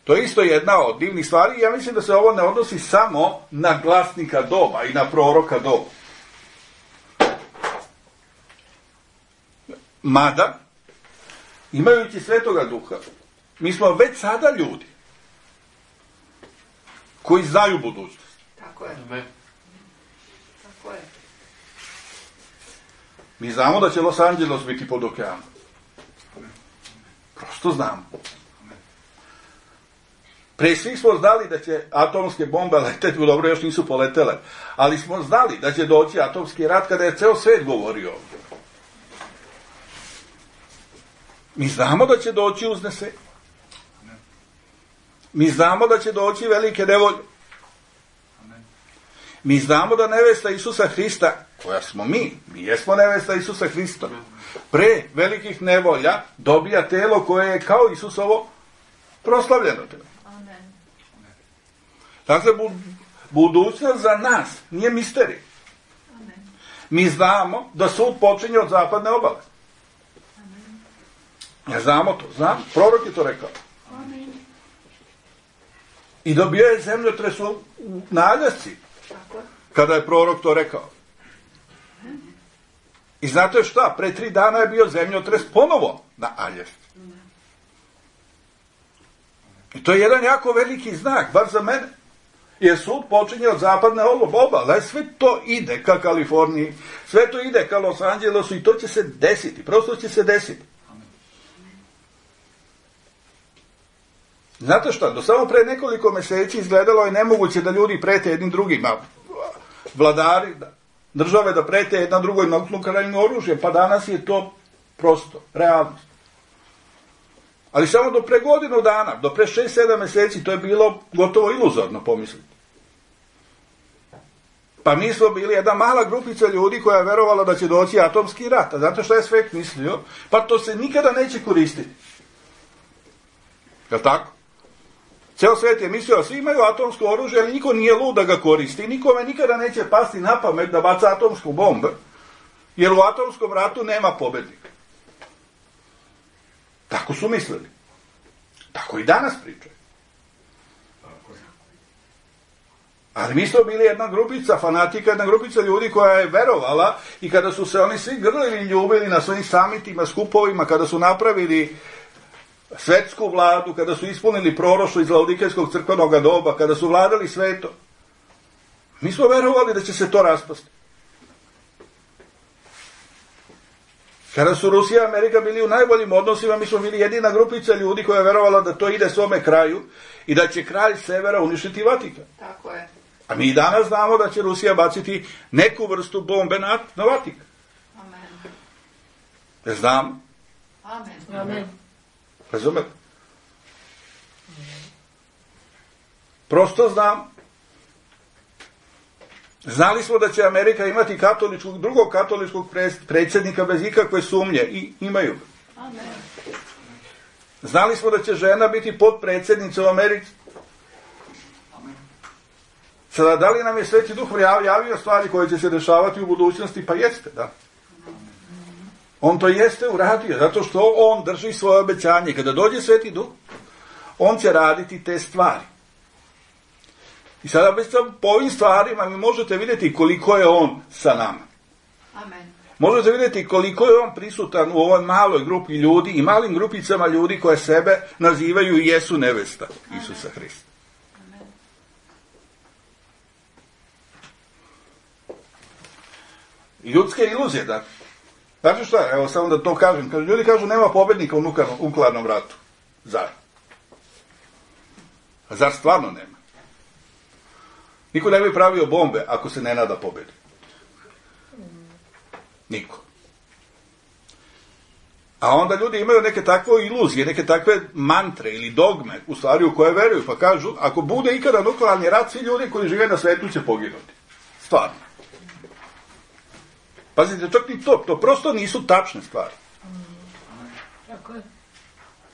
To je isto jedna od divnih stvari i ja mislim da se ovo ne odnosi samo na glasnika doba i na proroka doba. Mada, imajući Svetoga Duha, mi smo već sada ljudi koji znaju budućnost. Tako je. Amen. Tako je. Mi znamo da će Los Angeles biti pod okeanom. Prosto znamo. Pre svih smo znali da će atomske bombe leteti, dobro, još nisu poletele, ali smo znali da će doći atomski rat kada je ceo svet govorio ovdje. Mi znamo da će doći uznese. Mi znamo da će doći velike nevolje. Mi znamo da nevesta Isusa Hrista, koja smo mi, mi jesmo nevesta Isusa Hrista, pre velikih nevolja dobija telo koje je kao Isusovo proslavljeno telo. Amen. Dakle, budućnost za nas nije misterij. Amen. Mi znamo da sud počinje od zapadne obale. Amen. Ja znamo to, znam, prorok je to rekao. Amen. I dobio je zemljotres u Aljasci, Tako je. kada je prorok to rekao. I znate šta, pre tri dana je bio zemljotres ponovo na Aljasci. I to je jedan jako veliki znak, bar za mene. Jer sud počinje od zapadne obale, sve to ide ka Kaliforniji, sve to ide ka Los Angelesu i to će se desiti, prosto će se desiti. Znate šta, do samo pre nekoliko meseci izgledalo je nemoguće da ljudi prete jednim drugima, vladari, države da prete jedna drugoj nuklearnim oružjem, pa danas je to prosto, realnost. Ali samo do pre godinu dana, do pre šest sedam meseci, to je bilo gotovo iluzorno pomisliti. Pa mi smo bili jedna mala grupica ljudi koja je verovala da će doći atomski rat. A znate što je svet mislio? Pa to se nikada neće koristiti. Je li tako? Ceo svet je mislio da svi imaju atomsko oružje, ali niko nije lud da ga koristi. Nikome nikada neće pasti na pamet da baca atomsku bombu, jer u atomskom ratu nema pobednika. Tako su mislili. Tako i danas pričaju. Ali mi smo bili jedna grupica fanatika, jedna grupica ljudi koja je verovala i kada su se oni svi grlili i ljubili na svojim samitima, skupovima, kada su napravili svetsku vladu, kada su ispunili proroštvo iz Laodikejskog crkvenog doba, kada su vladali svetom, mi smo verovali da će se to raspasti. Kada su Rusija i Amerika bili u najboljim odnosima, mi smo bili jedina grupica ljudi koja je verovala da to ide svome kraju i da će kralj severa uništiti Vatikan. Tako je. A mi danas znamo da će Rusija baciti neku vrstu bombe na, na Vatikan. Amen. Ne znam. Amen. Amen. Razumete? Prosto znam. Znali smo da će Amerika imati katoličkog, drugog katoličkog predsjednika bez ikakve sumnje i imaju. Amen. Znali smo da će žena biti potpredsjednica u Americi. Sada, da li nam je Sveti Duh javio stvari koje će se dešavati u budućnosti? Pa jeste, da. On to jeste uradio, zato što on drži svoje obećanje. Kada dođe Sveti Duh, on će raditi te stvari. I sada već po ovim stvarima vi možete vidjeti koliko je on sa nama. Amen. Možete vidjeti koliko je on prisutan u ovoj maloj grupi ljudi i malim grupicama ljudi koje sebe nazivaju i jesu nevesta Isusa Hrista. Amen. Ljudske iluzije, da. Znači šta, evo samo da to kažem. Kažu, ljudi kažu nema pobednika u nuklearnom ratu. Zar? A zar stvarno nema? Niko ne bi pravio bombe ako se ne nada pobedi. Niko. A onda ljudi imaju neke takve iluzije, neke takve mantre ili dogme, u stvari u koje veruju, pa kažu, ako bude ikada nuklearni rat, svi ljudi koji žive na svetu će poginuti. Stvarno. Pazite, čak i to, to prosto nisu tačne stvari.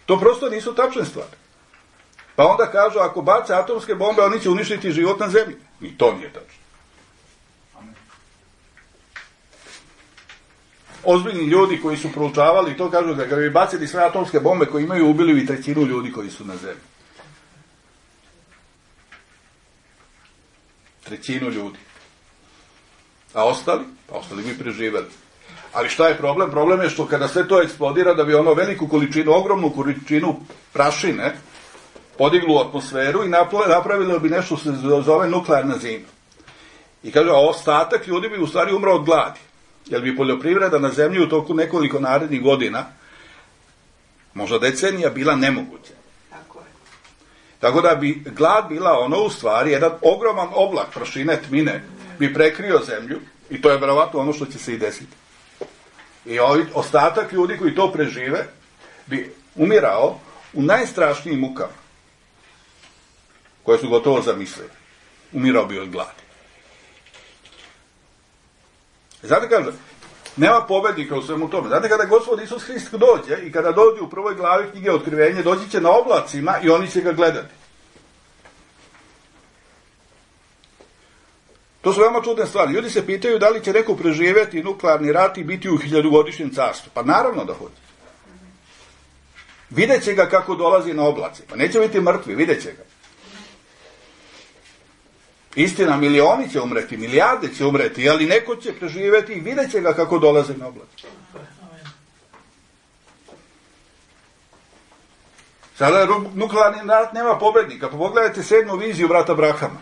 To prosto nisu tačne stvari. Pa onda kažu, ako bace atomske bombe, oni će uništiti život na zemlji. I to nije tačno. Ozbiljni ljudi koji su proučavali to kažu da kada bi bacili sve atomske bombe koje imaju, ubili bi trećinu ljudi koji su na zemlji. Trećinu ljudi. A ostali? Pa ostali bi preživeli. Ali šta je problem? Problem je što kada sve to eksplodira, da bi ono veliku količinu, ogromnu količinu prašine podiglo atmosferu i napravilo bi nešto što se zove nuklearna zima. I kaže, a ostatak ljudi bi u stvari umro od gladi. Jer bi poljoprivreda na zemlji u toku nekoliko narednih godina, možda decenija, bila nemoguća. Tako je. Tako da bi glad bila ono u stvari, jedan ogroman oblak prašine, tmine, bi prekrio zemlju i to je verovatno ono što će se i desiti. I ovaj ostatak ljudi koji to prežive bi umirao u najstrašnijim mukama, koje su gotovo zamislili. Umirao bi od gladi. Znate kaže, nema pobednika u svemu tome. Znate kada Gospod Isus Hrist dođe i kada dođe u prvoj glavi knjige Otkrivenje, doći će na oblacima i oni će ga gledati. To su veoma čudne stvari. Ljudi se pitaju da li će neko preživjeti nuklearni rat i biti u hiljadugodišnjem carstvu. Pa naravno da hoće. Vidjet će ga kako dolazi na oblaci. Pa neće biti mrtvi, vidjet će ga. Istina, milioni će umreti, milijarde će umreti, ali neko će preživjeti i vidjet će ga kako dolazi na oblaci. Sada nuklearni rat nema pobednika. Pa pogledajte sedmu viziju brata Brahama.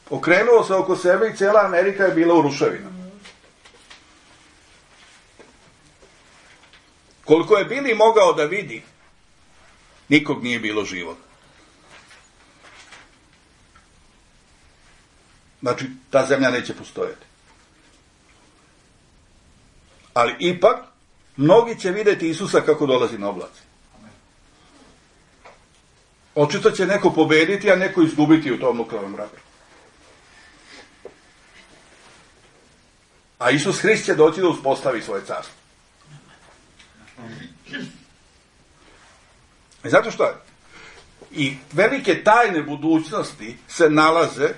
Okrenuo se oko sebe i cijela Amerika je bila u ruševinama. Koliko je Bili mogao da vidi, nikog nije bilo živog. Znači, ta zemlja neće postojati. Ali ipak, mnogi će vidjeti Isusa kako dolazi na oblaci. Očito će neko pobediti, a neko izgubiti u tom nuklearnom ratu. A Isus Hrist će doći da uspostavi svoje carstvo. I zato što je? I velike tajne budućnosti se nalaze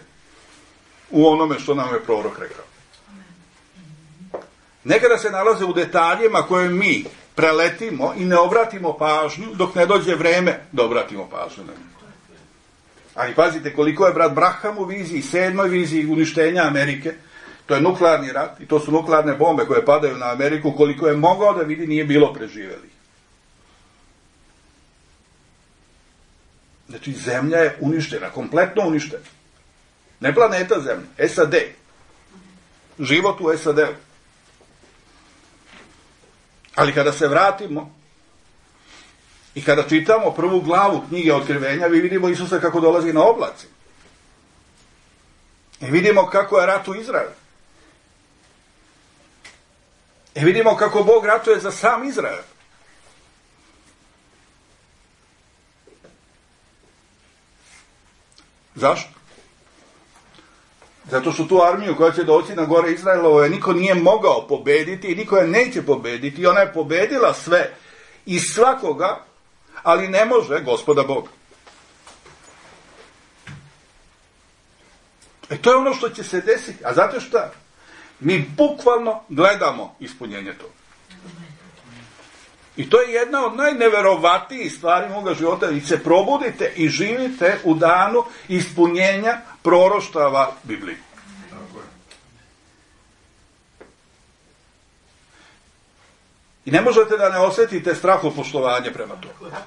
u onome što nam je prorok rekao. Nekada se nalaze u detaljima koje mi preletimo i ne obratimo pažnju dok ne dođe vreme da obratimo pažnju na njih. Ali pazite koliko je brat Braham u viziji, sedmoj viziji uništenja Amerike. To je nuklearni rat i to su nuklearne bombe koje padaju na Ameriku, koliko je mogao da vidi nije bilo preživeli. Znači zemlja je uništena, kompletno uništena. Ne planeta zemlja, S A D. Život u S A D-u. Ali kada se vratimo i kada čitamo prvu glavu knjige Otkrivenja, vi vidimo Isusa kako dolazi na oblaci. I vidimo kako je rat u Izraelu. I vidimo kako Bog ratuje za sam Izrael. Zašto? Zato što tu armiju koja će doći na gore Izraelovo je niko nije mogao pobediti i niko je neće pobediti i ona je pobedila sve i svakoga, ali ne može Gospoda Boga. E to je ono što će se desiti. A znate šta? Mi bukvalno gledamo ispunjenje toga. I to je jedna od najneverovatijih stvari moga života. I se probudite i živite u danu ispunjenja proroštava Biblije. I ne možete da ne osjetite strahopoštovanje prema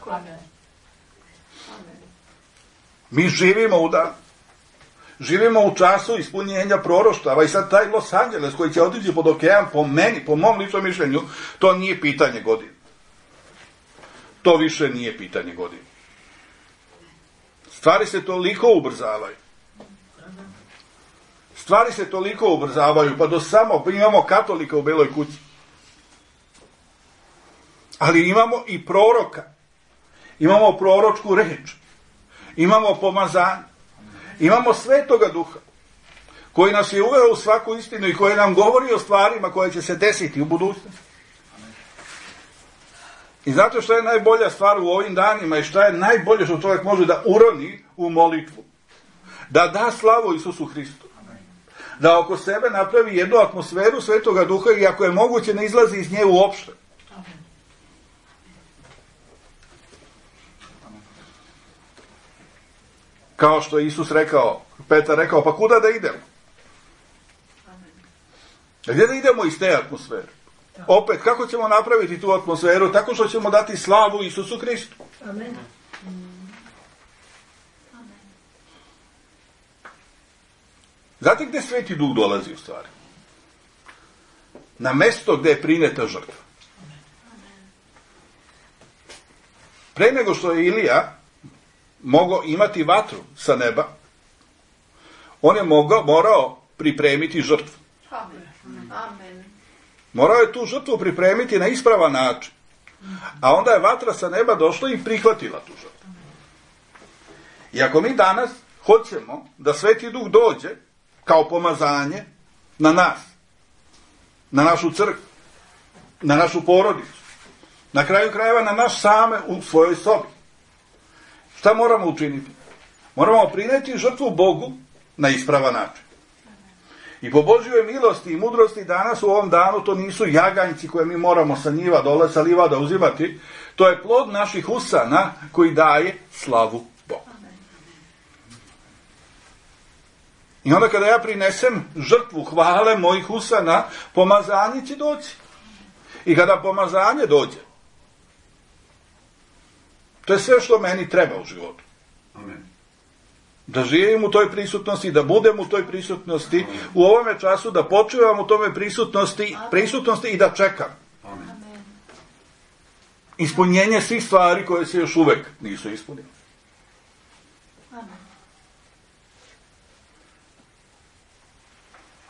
tome. Mi živimo u danu. Živimo u času ispunjenja proroštava i sad taj Los Angeles koji će otići pod okean, po meni, po mom ličnom mišljenju, to nije pitanje godine. To više nije pitanje godine. Stvari se toliko ubrzavaju. Stvari se toliko ubrzavaju, pa do samo imamo katolika u Beloj kući. Ali imamo i proroka. Imamo proročku reč. Imamo pomazanje. Imamo Svetoga Duha, koji nas je uveo u svaku istinu i koji nam govori o stvarima koje će se desiti u budućnosti. I znate što je najbolja stvar u ovim danima i što je najbolje što čovjek može da uroni u molitvu? Da da slavu Isusu Hristu. Da oko sebe napravi jednu atmosferu Svetoga Duha i ako je moguće ne izlazi iz nje uopšte. Kao što je Isus rekao, Petar rekao, pa kuda da idemo? A gdje da idemo iz te atmosfere? Opet, kako ćemo napraviti tu atmosferu? Tako što ćemo dati slavu Isusu Hristu. Amen. Znate gdje Sveti Duh dolazi u stvari? Na mesto gdje je prineta žrtva. Pre nego što je Ilija mogao imati vatru sa neba, on je mogao, morao pripremiti žrtvu. Amen. Morao je tu žrtvu pripremiti na ispravan način. A onda je vatra sa neba došla i prihvatila tu žrtvu. I ako mi danas hoćemo da Sveti Duh dođe kao pomazanje na nas, na našu crkvu, na našu porodicu, na kraju krajeva na nas same u svojoj sobi, šta moramo učiniti? Moramo prineti žrtvu Bogu na ispravan način. I po Božjoj milosti i mudrosti danas u ovom danu to nisu jaganjci koje mi moramo sa njiva dole, sa livada uzimati. To je plod naših usana koji daje slavu Bogu. I onda kada ja prinesem žrtvu hvale mojih usana, pomazanje će doći. I kada pomazanje dođe, to je sve što meni treba u životu. Amen. Da živim u toj prisutnosti, da budem u toj prisutnosti, amen, u ovome času, da počivam u tome prisutnosti, prisutnosti i da čekam. Amen. Ispunjenje svih stvari koje se još uvek nisu ispunile. Amen.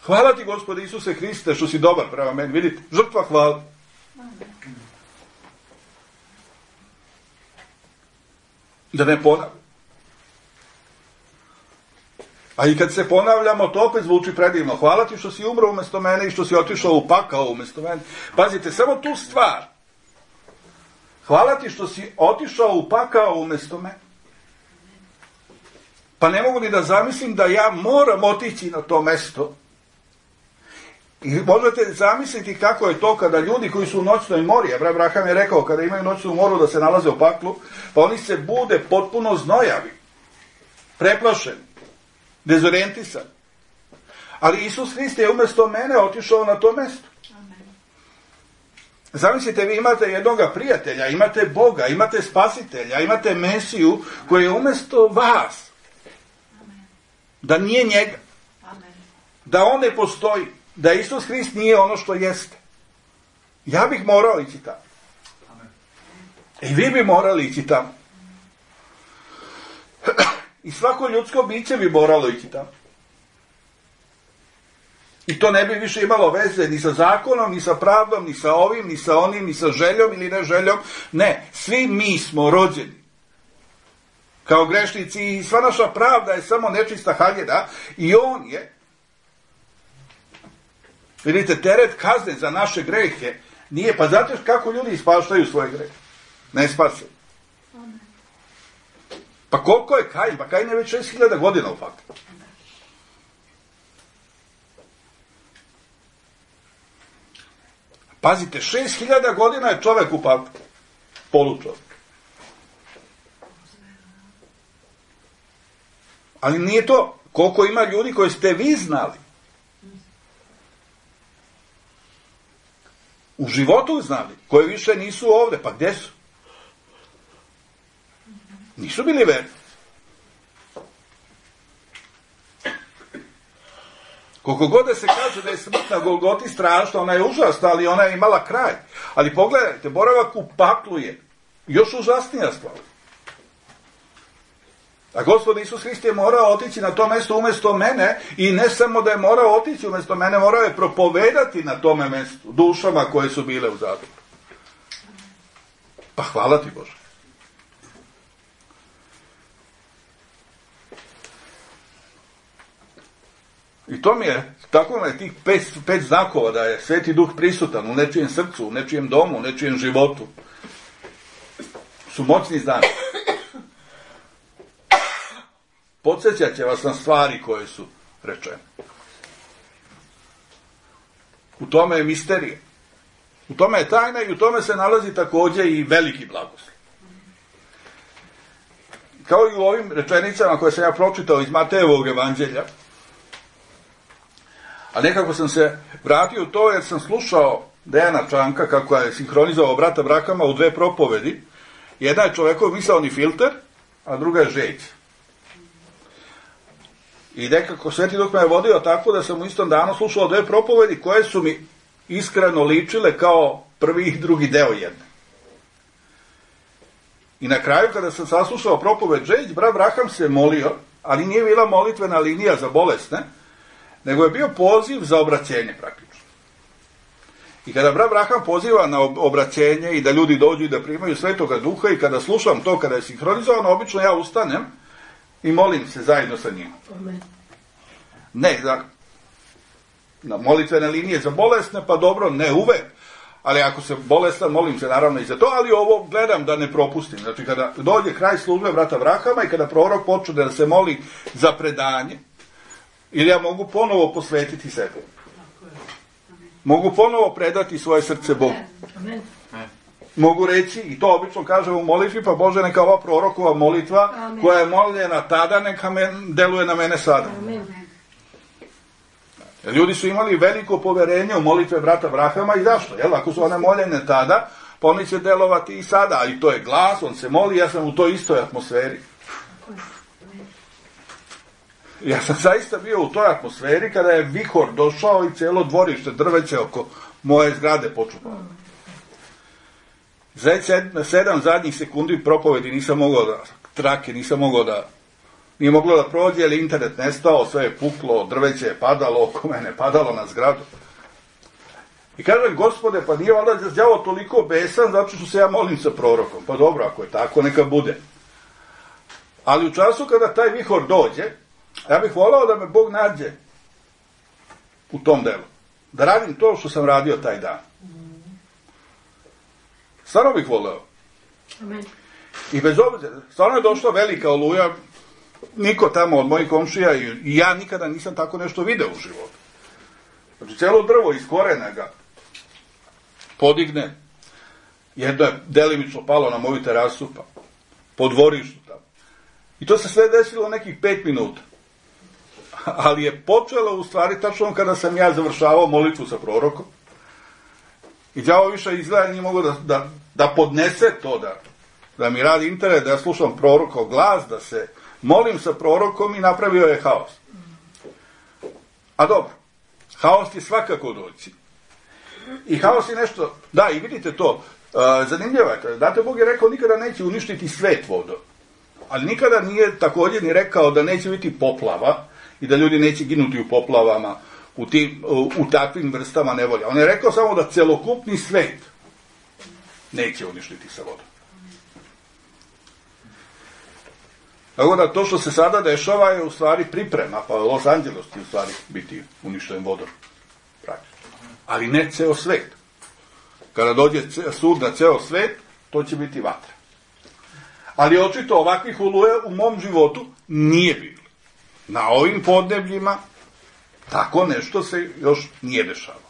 Hvala ti, Gospode Isuse Hriste, što si dobar prema meni. Vidite, žrtva hvala. Da ne ponavljam. A i kad se ponavljamo, to opet zvuči predivno. Hvala ti što si umro umjesto mene i što si otišao u pakao umjesto mene. Pazite, samo tu stvar. Hvala ti što si otišao u pakao umjesto mene. Pa ne mogu ni da zamislim da ja moram otići na to mesto. I možete zamisliti kako je to kada ljudi koji su u noćnoj mori, Abraham je rekao kada imaju noćnu moru da se nalaze u paklu, pa oni se bude potpuno znojavi, preplašeni, dezorijentisani. Ali Isus Hrist je umjesto mene otišao na to mesto. Zamislite, vi imate jednoga prijatelja, imate Boga, imate Spasitelja, imate Mesiju koji je umjesto vas. Da nije njega. Da on ne postoji. Da Isus Hrist nije ono što jeste. Ja bih morao ići tamo. I vi bi morali ići tamo. I svako ljudsko biće bi moralo ići tamo. I to ne bi više imalo veze ni sa zakonom, ni sa pravdom, ni sa ovim, ni sa onim, ni sa željom ili ne željom. Ne, svi mi smo rođeni kao grešnici i sva naša pravda je samo nečista haljina i on je, vidite, teret kazne za naše grehe nije, pa znate kako ljudi ispaštaju svoje grehe? Ne spase. Pa koliko je Kain? Pa Kain je već šest hiljada godina u faktu. Pazite, šest hiljada godina je čovek u paklu. Polučovek. Ali nije to. Koliko ima ljudi koje ste vi znali. U životu znali. Koje više nisu ovde. Pa gde su? Nisu bili verni. Koliko god da se kaže da je smrt na Golgoti strašna, ona je užasna, ali ona je imala kraj. Ali pogledajte, boravak u paklu je još užasnija stvar. A Gospod Isus Hrist je morao otići na to mesto umjesto mene i ne samo da je morao otići umjesto mene, morao je propovedati na tome mestu dušama koje su bile u zatvoru. Pa hvala ti, Bože. I to mi je, tako mi je tih pet, pet znakova da je Sveti Duh prisutan u nečijem srcu, u nečijem domu, u nečijem životu. Su moćni znaki. Podsjećat će vas na stvari koje su rečene. U tome je misterija. U tome je tajna i u tome se nalazi također i veliki blagoslov. Kao i u ovim rečenicama koje sam ja pročitao iz Matejevog evanđelja, a nekako sam se vratio u to jer sam slušao Dejana Čanka kako je sinhronizovao brata Brakama u dve propovedi. Jedna je čovjekov misaoni filter, a druga je žeđ. I nekako Sveti Duh me je vodio tako da sam u istom danu slušao dve propovedi koje su mi iskreno ličile kao prvi i drugi deo jedne. I na kraju, kada sam saslušao propoved Džejić, brat Braham se molio, ali nije bila molitvena linija za bolesne, nego je bio poziv za obraćenje praktično. I kada brat Braham poziva na obraćenje i da ljudi dođu i da primaju Svetoga Duha, i kada slušam to, kada je sinhronizovano, obično ja ustanem i molim se zajedno sa njima. Ne, da, na molitvene linije za bolesne, pa dobro, ne uvek, ali ako se bolestan, molim se naravno i za to, ali ovo gledam da ne propustim. Znači, kada dođe kraj službe brata Brahama i kada prorok počne da se moli za predanje, ili ja mogu ponovo posvetiti sebe. Mogu ponovo predati svoje srce Bogu. Mogu reći, i to obično kažem u molitvi, pa Bože, neka ova prorokova molitva, amen, koja je moljena tada, neka men, deluje na mene sada. Amen. Ljudi su imali veliko poverenje u molitve brata Brahama, i zašto? Jel? Ako su one moljene tada, pa oni će delovati i sada, ali to je glas, on se moli, ja sam u toj istoj atmosferi. Ja sam zaista bio u toj atmosferi kada je vihor došao i cijelo dvorište drveće oko moje zgrade počupalo. Za sedam zadnjih sekundi propovedi nisam mogao da, trake, nisam mogao da, nije moglo da prođe, ali internet nestao, sve je puklo, drveće je padalo, oko mene padalo na zgradu. I kažem, Gospode, pa nije valjda đavo toliko besan zato što se ja molim sa prorokom. Pa dobro, ako je tako, neka bude. Ali u času kada taj vihor dođe, ja bih volao da me Bog nađe u tom delu. Da radim to što sam radio taj dan. Stvarno bih voleo. Amen. I bez obzira, stvarno je došla velika oluja, niko tamo od mojih komšija i ja nikada nisam tako nešto video u životu. Znači, cijelo drvo iz korena ga podigne, jedno je delimično palo na moju terasu, pa po dvorištu tamo. I to se sve desilo nekih pet minuta. Ali je počelo u stvari tačno kada sam ja završavao molitvu sa prorokom. I đavo više izgleda nije mogo da, da, da podnese to, da, da mi radi internet, da ja slušam prorokov glas, da se molim sa prorokom, i napravio je haos. A dobro, haos je svakako doći. I haos je nešto, da, i vidite to, uh, zanimljivo je, znate, Bog je rekao nikada neće uništiti svet vodom, ali nikada nije također ni rekao da neće biti poplava i da ljudi neće ginuti u poplavama, u, tim, u, u takvim vrstama nevolja. On je rekao samo da celokupni svet neće uništiti sa vodom. Tako da to što se sada dešava je u stvari priprema, pa Los Angeles će u stvari biti uništen vodom. Ali ne ceo svet. Kada dođe sud na ceo svet, to će biti vatra. Ali očito ovakvih oluja u mom životu nije bilo. Na ovim podnebljima tako nešto se još nije dešavalo.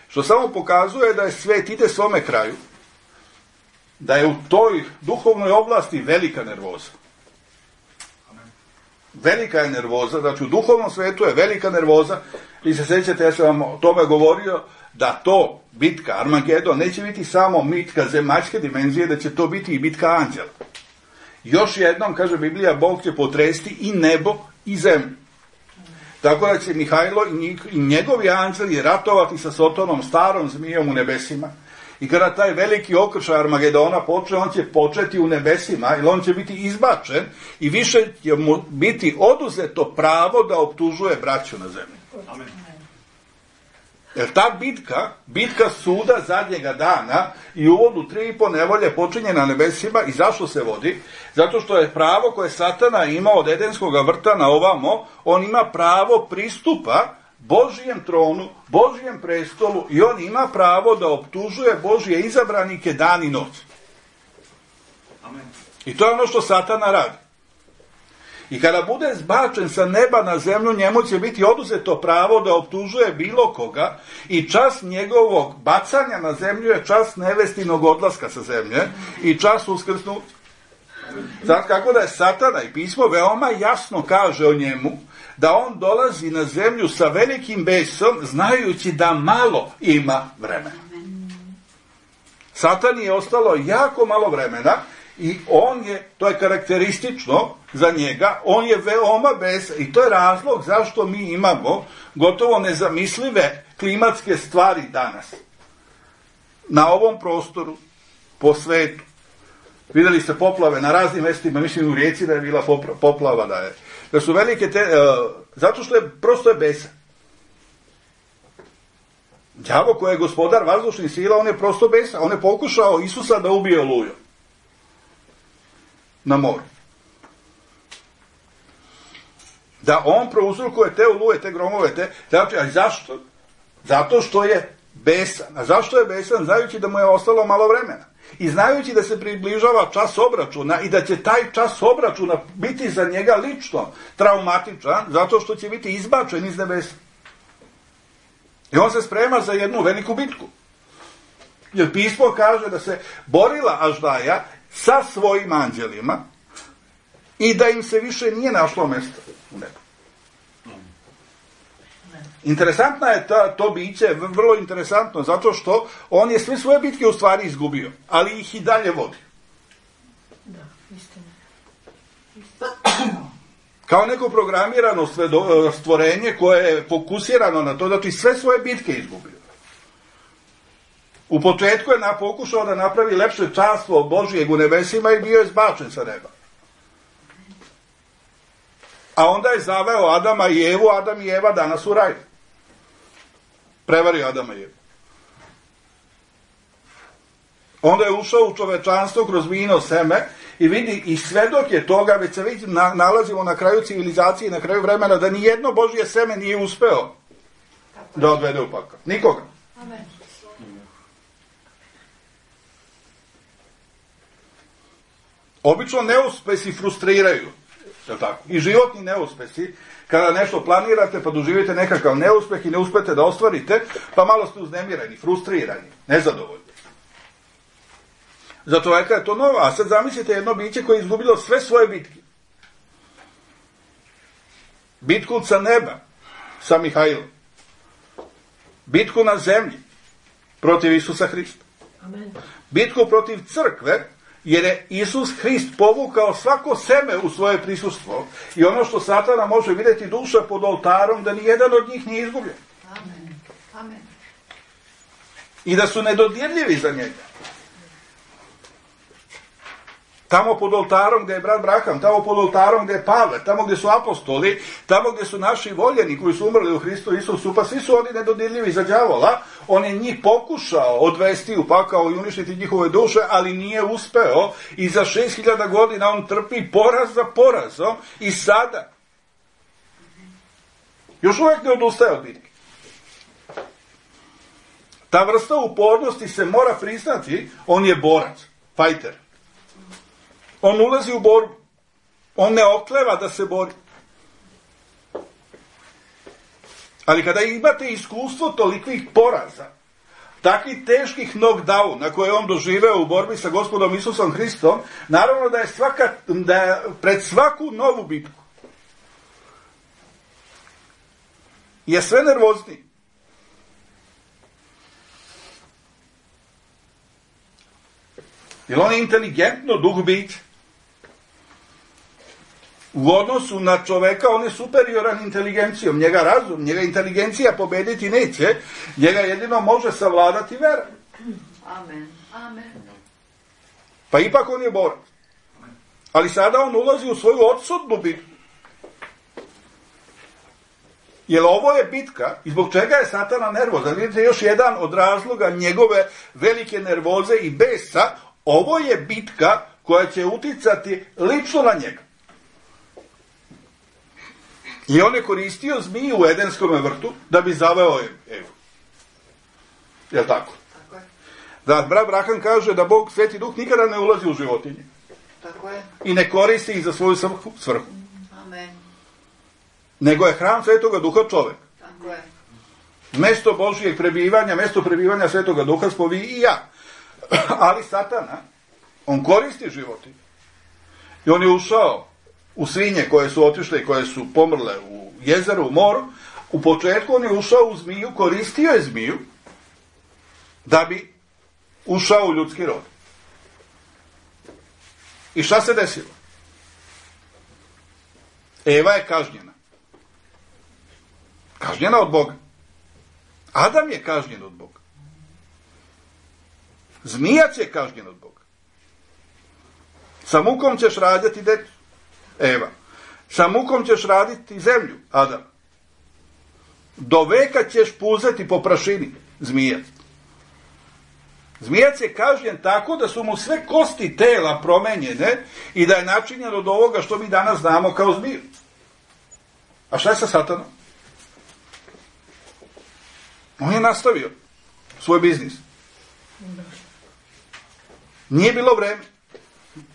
Što samo pokazuje da je svet ide svome kraju, da je u toj duhovnoj oblasti velika nervoza. Velika je nervoza, znači u duhovnom svetu je velika nervoza, i se sjećate, ja sam vam o tome govorio, da to, bitka Armagedon, neće biti samo bitka zemaljske dimenzije, da će to biti i bitka anđela. Još jednom, kaže Biblija, Bog će potresti i nebo i zemlju. Tako da će Mihajlo i njegovi anđeli ratovati sa Sotonom, starom zmijom u nebesima. I kada taj veliki okršaj Armagedona počne, on će početi u nebesima, ili on će biti izbačen i više će mu biti oduzeto pravo da optužuje braću na zemlji. Amen. Jer ta bitka, bitka suda zadnjega dana i uvodu tri i po nevolje počinje na nebesima. I zašto se vodi? Zato što je pravo koje Satana ima od Edenskog vrta na ovamo, on ima pravo pristupa Božijem tronu, Božijem prestolu, i on ima pravo da optužuje Božije izabranike dan i noć. Amen. I to je ono što Satana radi. I kada bude zbačen sa neba na zemlju, njemu će biti oduzeto pravo da optužuje bilo koga, i čas njegovog bacanja na zemlju je čas nevestinog odlaska sa zemlje i čas uskrsnuća. Sad kako da je Satana, i pismo veoma jasno kaže o njemu, da on dolazi na zemlju sa velikim besom, znajući da malo ima vremena. Satani je ostalo jako malo vremena, I on je, to je karakteristično za njega, on je veoma besan i to je razlog zašto mi imamo gotovo nezamislive klimatske stvari danas. Na ovom prostoru, po svetu. Vidjeli ste poplave na raznim mjestima, mislim u Rijeci da je bila poplava, da je. Da su velike te, uh, zato što je, prosto je besan. Đavo koji je gospodar vazdušnih sila, on je prosto besan. On je pokušao Isusa da ubije olujom na moru. Da on prouzrokuje te oluje, te gromove, te... Znači, a zašto? Zato što je besan. A zašto je besan? Znajući da mu je ostalo malo vremena. I znajući da se približava čas obračuna i da će taj čas obračuna biti za njega lično traumatičan, zato što će biti izbačen iz nebesa. I on se sprema za jednu veliku bitku. Jer pismo kaže da se borila Aždaja sa svojim anđelima i da im se više nije našlo mjesto u nebu. Interesantna je ta, to biće, vrlo interesantno, zato što on je sve svoje bitke u stvari izgubio, ali ih i dalje vodi. Da, istina. Kao neko programirano stvorenje koje je fokusirano na to, znači sve svoje bitke izgubio. U početku je na, pokušao da napravi lepše carstvo Božijeg u nebesima i bio je zbačen sa neba. A onda je zaveo Adama i Evu, Adam i Eva danas u raju. Prevario Adama i Evu. Onda je ušao u čovečanstvo kroz vino seme i vidi, i svedok je toga, već se vidi, na, nalazimo na kraju civilizacije, na kraju vremena, da nijedno Božje seme nije uspeo da odvede u pakao. Nikoga. Amen. Obično neuspesi frustriraju. Tako? I životni neuspesi, kada nešto planirate pa doživite nekakav neuspeh i ne uspete da ostvarite, pa malo ste uznemirani, frustrirani, nezadovoljni. Za čovjeka je to novo, a sad zamislite jedno biće koje je izgubilo sve svoje bitke. Bitku sa neba, sa Mihajlom. Bitku na zemlji, protiv Isusa Hrista. Amen. Bitku protiv crkve, jer je Isus Hrist povukao svako seme u svoje prisustvo i ono što Satana može vidjeti duša pod oltarom, da nijedan od njih nije izgubljen. Amen. Amen. I da su nedodirljivi za njega. Tamo pod oltarom gdje je brat Braham, tamo pod oltarom gdje je Pavle, tamo gdje su apostoli, tamo gdje su naši voljeni koji su umrli u Hristu Isusu, pa svi su oni nedodirljivi za đavola. On je njih pokušao odvesti u pakao i uništiti njihove duše, ali nije uspeo i za šest hiljada godina on trpi poraz za porazom i sada još uvijek ne odustaje od bitke. Ta vrsta upornosti se mora priznati, on je borac, fajter. On ulazi u borbu. On ne okleva da se bori. Ali kada imate iskustvo tolikih poraza, takvih teških knockdown na koje je on doživeo u borbi sa gospodom Isusom Hristom, naravno da je, svaka, da je pred svaku novu bitku je sve nervozniji. Jer on je inteligentno duh biće. U odnosu na čoveka on je superioran inteligencijom. Njega razum, njega inteligencija pobediti neće. Njega jedino može savladati vera. Amen. Amen. Pa ipak on je borac. Ali sada on ulazi u svoju odsudnu bitku. Jer ovo je bitka, i zbog čega je Satana nervozan. Vidite još jedan od razloga njegove velike nervoze i besa. Ovo je bitka koja će uticati lično na njega. I on je koristio zmiju u Edenskom vrtu da bi zaveo Evu. Jel' tako? Tako je. Da, brat Braham kaže da Bog, Sveti Duh, nikada ne ulazi u životinje. Tako je. I ne koristi ih za svoju svrhu. svrhu. Amen. Nego je hram Svetoga Duha čovjek. Tako je. Mesto Božijeg prebivanja, mesto prebivanja Svetoga Duha smo vi i ja. Ali Satana, on koristi životinje. I on je ušao u svinje koje su otišle i koje su pomrle u jezeru, u moru. U početku on je ušao u zmiju, koristio je zmiju da bi ušao u ljudski rod. I šta se desilo? Eva je kažnjena. Kažnjena od Boga. Adam je kažnjen od Boga. Zmijac je kažnjen od Boga. Sa mukom ćeš rađati decu, Eva. Sa mukom ćeš raditi zemlju, Adam. Do veka ćeš puzati po prašini, zmijac. Zmijac je kažnjen tako da su mu sve kosti tela promenjene i da je načinjen od ovoga što mi danas znamo kao zmiju. A šta je sa Satanom? On je nastavio svoj biznis. Nije bilo vreme.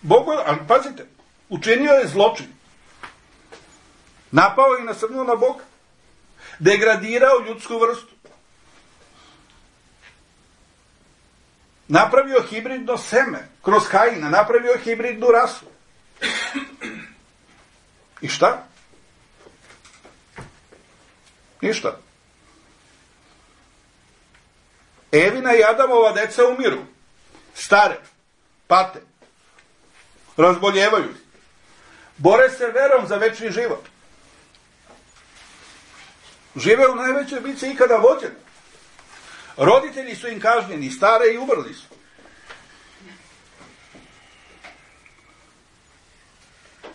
Bog, ali pazite, učinio je zločin. Napao i nasrnuo na Boga. Degradirao ljudsku vrstu. Napravio hibridno seme kroz Kaina, napravio hibridnu rasu. I šta? Ništa. Evina i Adamova deca umiru. Stare, pate, razboljevaju. Bore se verom za večni život. Žive u najvećoj bici ikada vođene. Roditelji su im kažnjeni, stare i umrli su.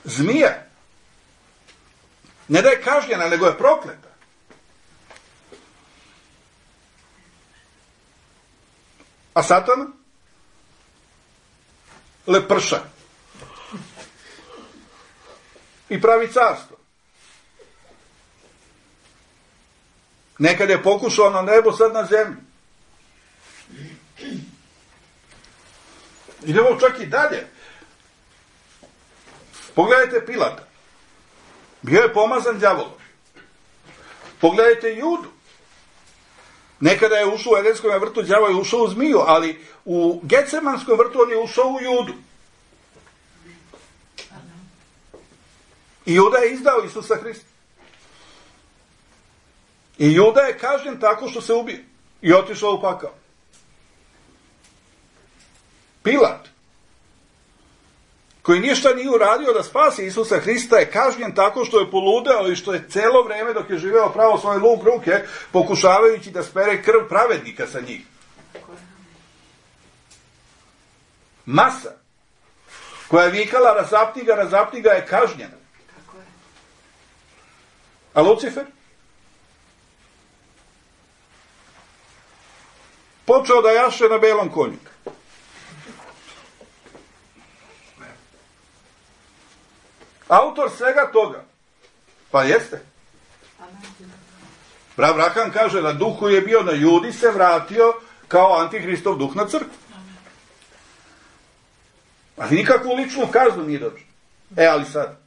Zmija ne da je kažnjena, nego je prokleta. A Satan? Leprša. I pravi carstvo. Nekad je pokušao na nebo, sad na zemlju. Idemo čak i dalje. Pogledajte Pilata. Bio je pomazan đavolom. Pogledajte Judu. Nekada je ušao u Edenskom vrtu, đavo je ušao u zmiju, ali u Getsemanskom vrtu on je ušao u Judu. I Juda je izdao Isusa Hrista. I Juda je kažnjen tako što se ubio i otišao u pakao. Pilat, koji ništa nije uradio da spasi Isusa Hrista, je kažnjen tako što je poludeo i što je celo vreme dok je živeo pravo svoje luk ruke, pokušavajući da spere krv pravednika sa njih. Masa, koja je vikala razapni ga, razapni ga, je kažnjena. A Lucifer? Počeo da jaše na belom konju. Autor svega toga. Pa jeste. Abraham kaže da duh koji je bio na Judi se vratio kao antihristov duh na crkvu. Ali nikakvu ličnu kaznu nije dođe. E, ali sad.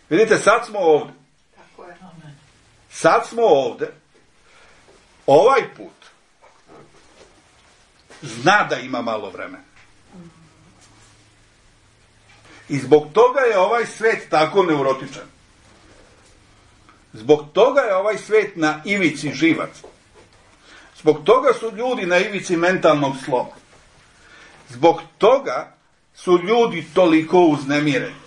Vidite, sad smo ovde. Sad smo ovde. Ovaj put zna da ima malo vremena. I zbog toga je ovaj svet tako neurotičan. Zbog toga je ovaj svet na ivici živaca. Zbog toga su ljudi na ivici mentalnog sloma. Zbog toga su ljudi toliko uznemireni.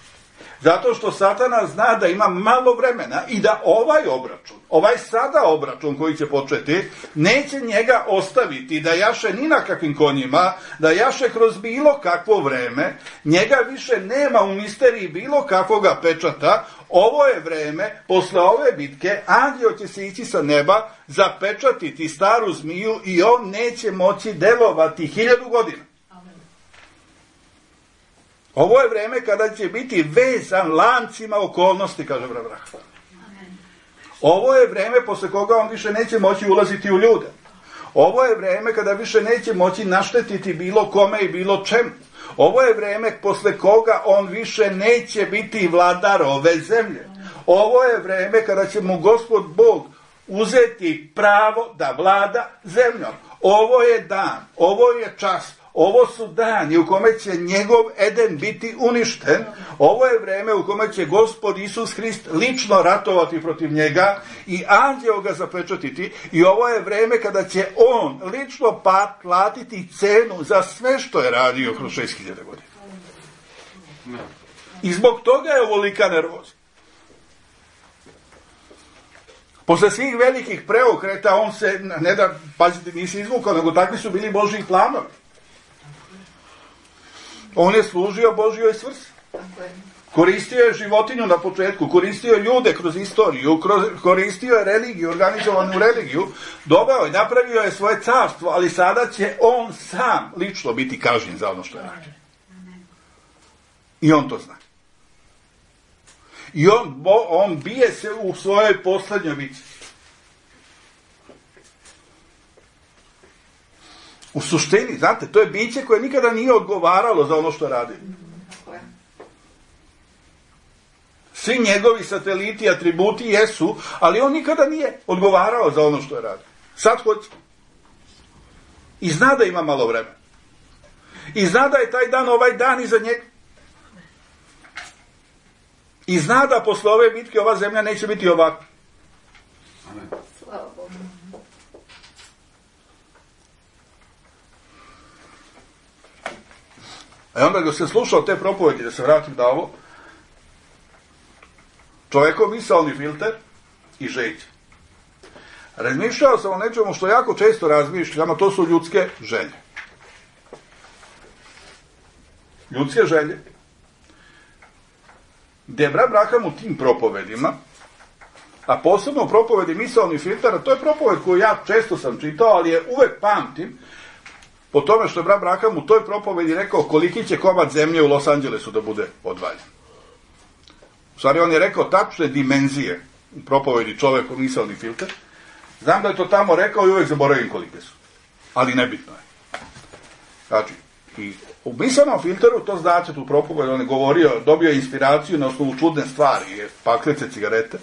Zato što Satana zna da ima malo vremena i da ovaj obračun, ovaj sada obračun koji će početi, neće njega ostaviti da jaše ni na kakvim konjima, da jaše kroz bilo kakvo vreme, njega više nema u misteriji bilo kakvoga pečata. Ovo je vreme, posle ove bitke, anđeo će se ići sa neba, zapečatiti staru zmiju i on neće moći delovati hiljadu godina. Ovo je vreme kada će biti vezan lancima okolnosti, kaže Abraham. Ovo je vreme posle koga on više neće moći ulaziti u ljude. Ovo je vreme kada više neće moći naštetiti bilo kome i bilo čemu. Ovo je vreme posle koga on više neće biti vladar ove zemlje. Ovo je vreme kada će mu Gospod Bog uzeti pravo da vlada zemljom. Ovo je dan, ovo je čas. Ovo su dani u kome će njegov Eden biti uništen. Ovo je vreme u kome će Gospod Isus Hrist lično ratovati protiv njega i anđeo ga zapečatiti. I ovo je vreme kada će on lično platiti cenu za sve što je radio kroz šest hiljada godina. I zbog toga je ovolika nervoza. Posle svih velikih preokreta, on se, ne da, pazite, nisi izvukao, nego takvi su bili Božji planovi. On je služio Božjoj svrsi. Koristio je životinju na početku, koristio je ljude kroz istoriju, kroz, koristio je religiju, organizovanu religiju, doveo je, napravio je svoje carstvo, ali sada će on sam lično biti kažnjen za ono što je radio. I on to zna. I on, on bije se u svojoj poslednjoj bici. U suštini, znate, to je biće koje nikada nije odgovaralo za ono što je radio. Svi njegovi sateliti, atributi jesu, ali on nikada nije odgovarao za ono što je radio. Sad hoće. I zna da ima malo vremena. I zna da je taj dan ovaj dan iza njega. I zna da posle ove bitke ova zemlja neće biti ovakva. Slava Bogu. A onda ga se slušao te propovedi, da se vratim da ovo, čovjekov misaoni filter i žeđe. Razmišljao sam o nečemu što jako često razmišljam, a to su ljudske želje. Ljudske želje. Gde je brat Branham u tim propovedima, a posebno u propovedi misaoni filtera, to je propoved koju ja često sam čitao, ali je uvek pamtim, po tome što je brat Branham u toj propovedi rekao koliki će komad zemlje u Los Angelesu da bude odvaljen. U stvari, on je rekao tačne dimenzije u propovedi čovekov misaoni filter. Znam da je to tamo rekao i uvek zaboravim kolike su. Ali nebitno je. Znači, i u misaonom filteru, to znači tu propoved, on je govorio, dobio inspiraciju na osnovu čudne stvari, paklice cigarete,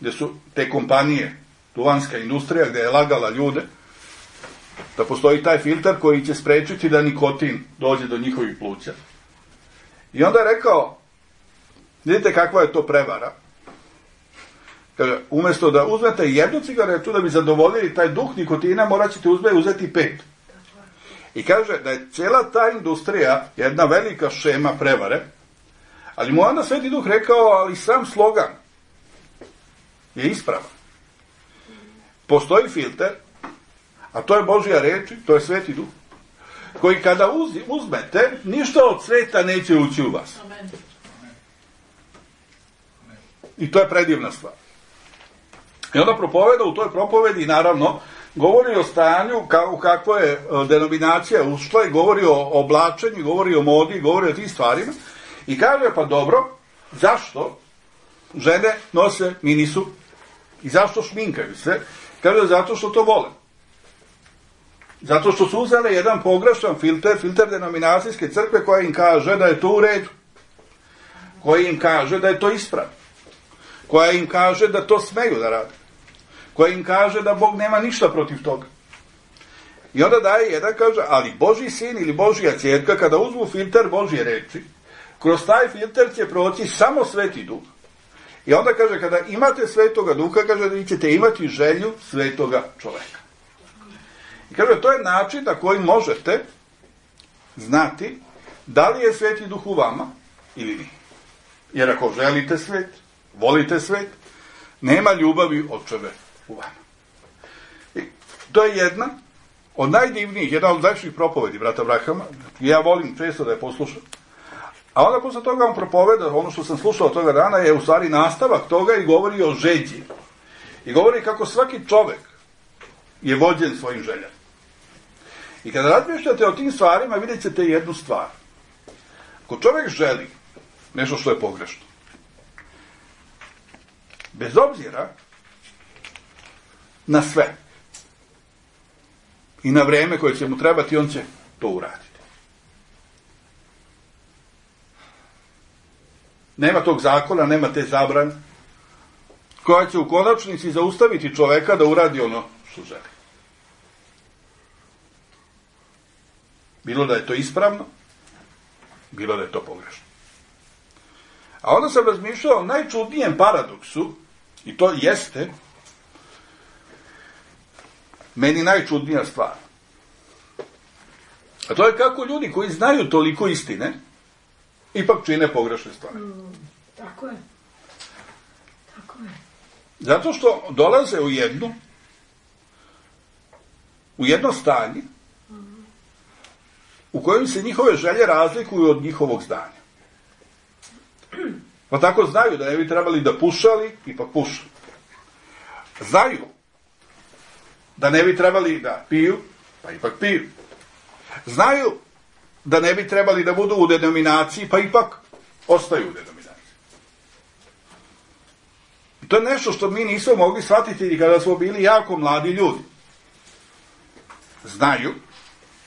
gde su te kompanije, duvanska industrija, gde je lagala ljude, da postoji taj filter koji će sprečiti da nikotin dođe do njihovih pluća. I onda je rekao, vidite kakva je to prevara. Kaže, umjesto da uzmete jednu cigaretu da bi zadovoljili taj duh nikotina, morat ćete uzeti pet. I kaže da je cijela ta industrija jedna velika šema prevare, ali mu onda Sveti Duh rekao, ali sam slogan je ispravan. Postoji filter, a to je Božja reč, to je Sveti Duh, koji kada uzmete, ništa od sveta neće ući u vas. I to je predivna stvar. I onda propoveda u toj propovedi, naravno, govori o stanju u kakvo je denominacija ušla i govori o oblačenju, govori o modi, govori o tih stvarima. I kaže, pa dobro, zašto žene nose minisu i zašto šminkaju se? Kaže, zato što to vole. Zato što su uzele jedan pogrešan filter, filter denominacijske crkve koja im kaže da je to u redu. Koja im kaže da je to ispravno. Koja im kaže da to smeju da rade. Koja im kaže da Bog nema ništa protiv toga. I onda daje jedan, kaže, ali Božji sin ili Božja ćerka, kada uzmu filter Božje reči, kroz taj filter će proći samo Sveti Duh. I onda kaže, kada imate Svetoga Duha, kaže, da ćete imati želju svetoga čoveka. I kaže, to je način na koji možete znati da li je Sveti Duh u vama ili nije. Jer ako želite svet, volite svet, nema ljubavi očeve u vama. I to je jedna od najdivnijih, jedna od najljepših propovedi brata Branhama. Ja volim često da je poslušam. A onda posle toga on propoveda, ono što sam slušao toga dana, je u stvari nastavak toga i govori o žeđi. I govori kako svaki čovek je vođen svojim željama. I kada razmišljate o tim stvarima, vidjet ćete jednu stvar. Ako čovek želi nešto što je pogrešno, bez obzira na sve i na vreme koje će mu trebati, on će to uraditi. Nema tog zakona, nema te zabrane koja će u konačnici zaustaviti čoveka da uradi ono što želi. Bilo da je to ispravno, bilo da je to pogrešno. A onda sam razmišljao o najčudnijem paradoksu, i to jeste meni najčudnija stvar. A to je kako ljudi koji znaju toliko istine, ipak čine pogrešne stvari. Mm, tako je. Tako je. Zato što dolaze u jednu, u jedno stanje, u kojem se njihove želje razlikuju od njihovog znanja. Pa tako znaju da ne bi trebali da pušali, ipak pušu. Znaju da ne bi trebali da piju, pa ipak piju. Znaju da ne bi trebali da budu u denominaciji, pa ipak ostaju u denominaciji. I to je nešto što mi nismo mogli shvatiti i kada smo bili jako mladi ljudi. Znaju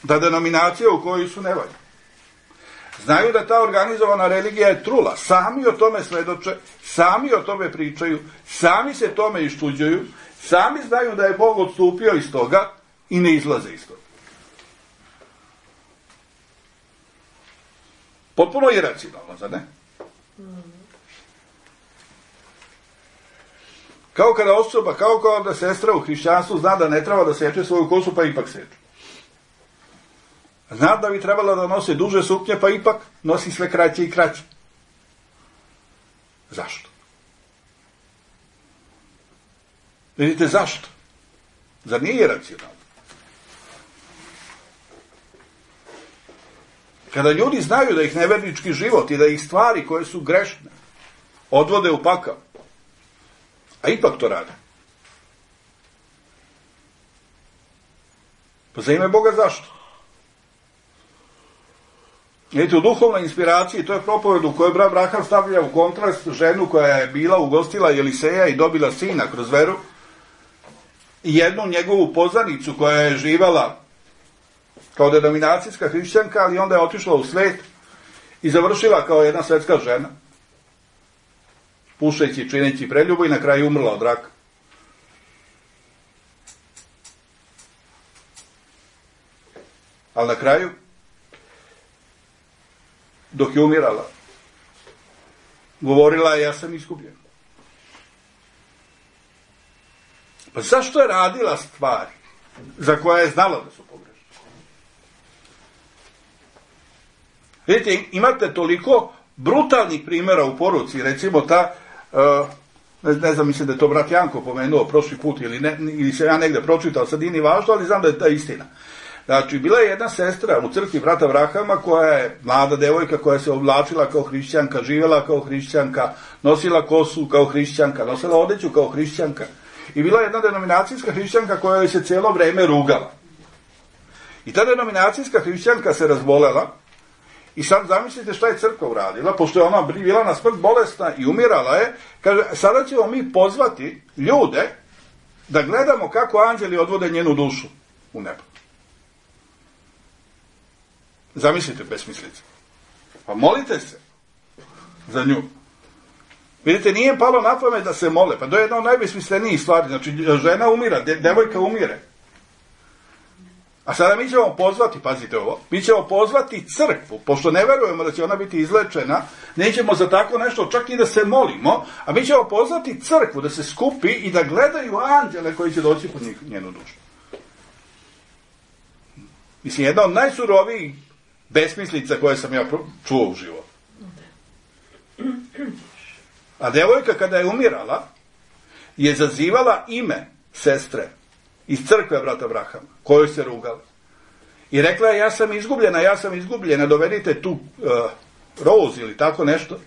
da denominacija u kojoj su ne valja. Znaju da ta organizovana religija je trula. Sami o tome svedoče, sami o tome pričaju, sami se tome iščuđuju, sami znaju da je Bog odstupio iz toga i ne izlaze iz toga. Potpuno iracionalno, zar ne? Kao kada osoba, kao kada sestra u hrišćanstvu zna da ne treba da seče svoju kosu, pa ipak seče. Zna da bi trebala da nosi duže suknje, pa ipak nosi sve kraće i kraće. Zašto? Vidite, zašto? Zar nije iracionalno? Kada ljudi znaju da ih nevernički život i da ih stvari koje su grešne odvode u pakao, a ipak to rade. Pa za ime Boga zašto? Vidite, u duhovnoj inspiraciji, to je propoved u kojoj brat Abraham stavlja u kontrast ženu koja je bila ugostila Eliseja i dobila sina kroz veru, i jednu njegovu poznanicu koja je živala kao denominacijska hrišćanka, ali onda je otišla u svet i završila kao jedna svetska žena, pušeći i čineći preljubu, i na kraju umrla od raka. Ali na kraju, dok je umirala, govorila je: ja sam izgubljena. Pa zašto je radila stvari za koje je znala da su pogrešne? Vidite, imate toliko brutalnih primjera u poruci, recimo ta, uh, ne, ne znam, mislim da je to brat Janko pomenuo prošli put, ili, ne, ili se ja negde pročitao, sad nije važno, ali znam da je ta istina. Znači, bila je jedna sestra u crkvi brata Abrahama, koja je mlada devojka, koja se oblačila kao hrišćanka, živjela kao hrišćanka, nosila kosu kao hrišćanka, nosila odeću kao hrišćanka. I bila je jedna denominacijska hrišćanka koja joj se cijelo vreme rugala. I ta denominacijska hrišćanka se razbolela, i sad zamislite šta je crkva uradila, pošto je ona bila na smrt bolesna i umirala je, kaže: sada ćemo mi pozvati ljude da gledamo kako anđeli odvode njenu dušu u nebo. Zamislite besmislice. Pa molite se za nju. Vidite, nije im palo na pamet da se mole. Pa to je jedna od najbesmislenijih stvari. Znači, žena umira, de, devojka umire. A sada mi ćemo pozvati, pazite ovo, mi ćemo pozvati crkvu, pošto ne verujemo da će ona biti izlečena, nećemo za tako nešto čak i da se molimo, a mi ćemo pozvati crkvu da se skupi i da gledaju anđele koji će doći pod njenu dušu. Mislim, jedna od najsurovijih besmislica koje sam ja čuo u životu. A devojka kada je umirala je zazivala ime sestre iz crkve brata Abrahama, kojoj se rugala. I rekla je: ja sam izgubljena, ja sam izgubljena, dovedite tu uh, Rose ili tako nešto.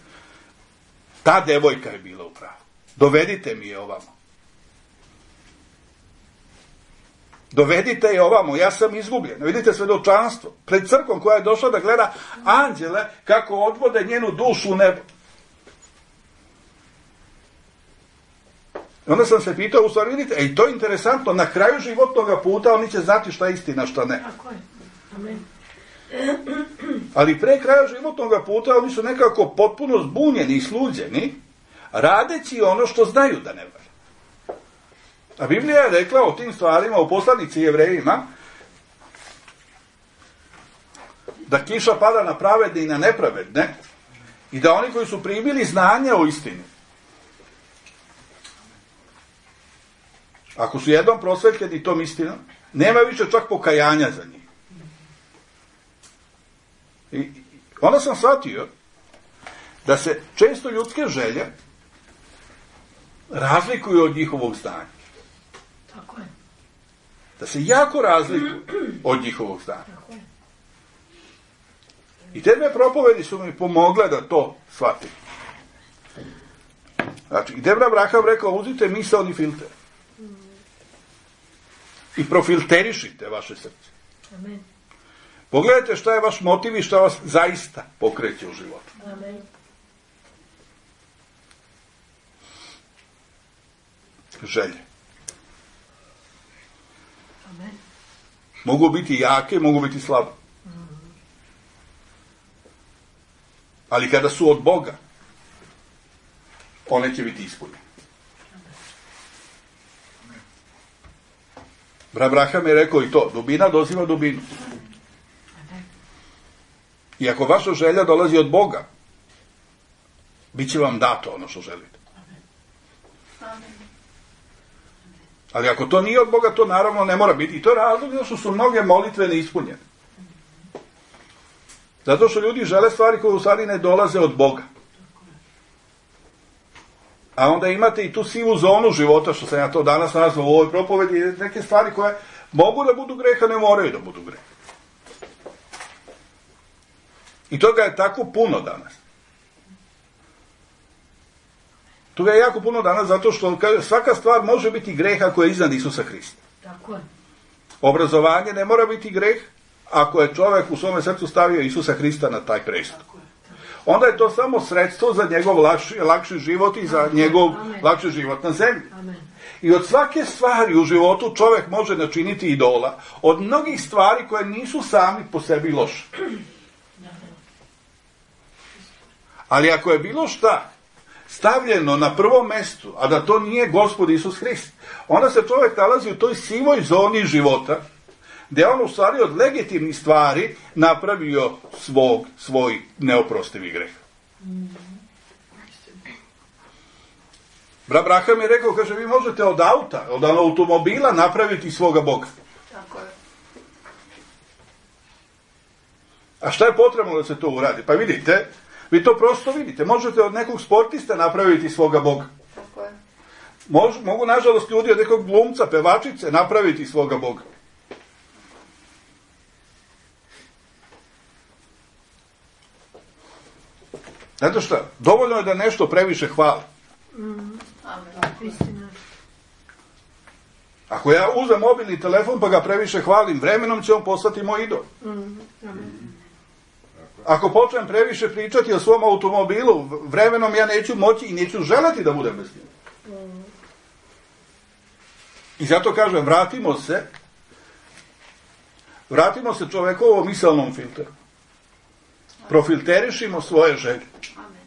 Ta devojka je bila u pravu. Dovedite mi je ovamo. Dovedite je ovamo, ja sam izgubljena. Vidite svedočanstvo pred crkvom koja je došla da gleda anđele kako odvode njenu dušu u nebo. Onda sam se pitao, u stvari, vidite, ej, to je interesantno, na kraju životnog puta oni će znati šta je istina, šta ne. Tako je. Amen. Ali pre kraja životnog puta oni su nekako potpuno zbunjeni i sluđeni, radeći ono što znaju da ne valja. A Biblija je rekla o tim stvarima u poslanici Jevrejima da kiša pada na pravedne i na nepravedne i da oni koji su primili znanja o istini, ako su jednom prosvetljeni tom istinom, nema više čak pokajanja za njih. I onda sam shvatio da se često ljudske želje razlikuju od njihovog znanja. Tako je. Da se jako razlikuju od njihovog znanja. Tako je. I te dve propovedi su mi pomogle da to shvatim. Znači, i Debra Abraham rekao, uzite misaoni filter. I profilterišite vaše srce. Amen. Pogledajte šta je vaš motiv i šta vas zaista pokreće u životu. Amen. Želje. Amen. Mogu biti jake, mogu biti slabe. Ali kada su od Boga, one će biti ispunjene. Abraham je rekao i to, dubina doziva dubinu. I ako vaša želja dolazi od Boga, bit će vam dato ono što želite. Ali ako to nije od Boga, to naravno ne mora biti. I to je razlog zato što su mnoge molitve neispunjene. Zato što ljudi žele stvari koje u stvari ne dolaze od Boga. A onda imate i tu sivu zonu života, što sam ja to danas nazvao u ovoj propovedi, neke stvari koje mogu da budu greha, ne moraju da budu greha. I toga je tako puno danas. Toga je jako puno danas zato što svaka stvar može biti greh ako je iznad Isusa Hrista. Tako je. Obrazovanje ne mora biti greh ako je čovjek u svome srcu stavio Isusa Hrista na taj prestup. Onda je to samo sredstvo za njegov lakši, lakši život i za njegov Amen. lakši život na zemlji. Amen. I od svake stvari u životu čovjek može načiniti idola. Od mnogih stvari koje nisu sami po sebi loše. Ali ako je bilo šta stavljeno na prvom mestu, a da to nije Gospod Isus Hrist, onda se čovjek nalazi u toj sivoj zoni života, gdje on u stvari od legitimnih stvari napravio svog, svoj neoprostivi greh. Abraham je rekao, kaže, vi možete od auta, od automobila napraviti svoga Boga. Tako je. A šta je potrebno da se to uradi? Pa vidite, vi to prosto vidite. Možete od nekog sportista napraviti svoga Boga. Tako je. Mož, mogu, nažalost, ljudi od nekog glumca, pevačice napraviti svoga Boga. Znate šta? Dovoljno je da nešto previše hvali. Mm. Amen. Istina. Ako ja uzem mobilni telefon pa ga previše hvalim, vremenom će on postati moj idol. Mm. Amen. Ako počnem previše pričati o svom automobilu, vremenom ja neću moći i neću želeti da budem bez njega. Mm. I zato kažem, vratimo se, vratimo se čovekovom misalnom filteru. Profilterišimo svoje želje. Amen.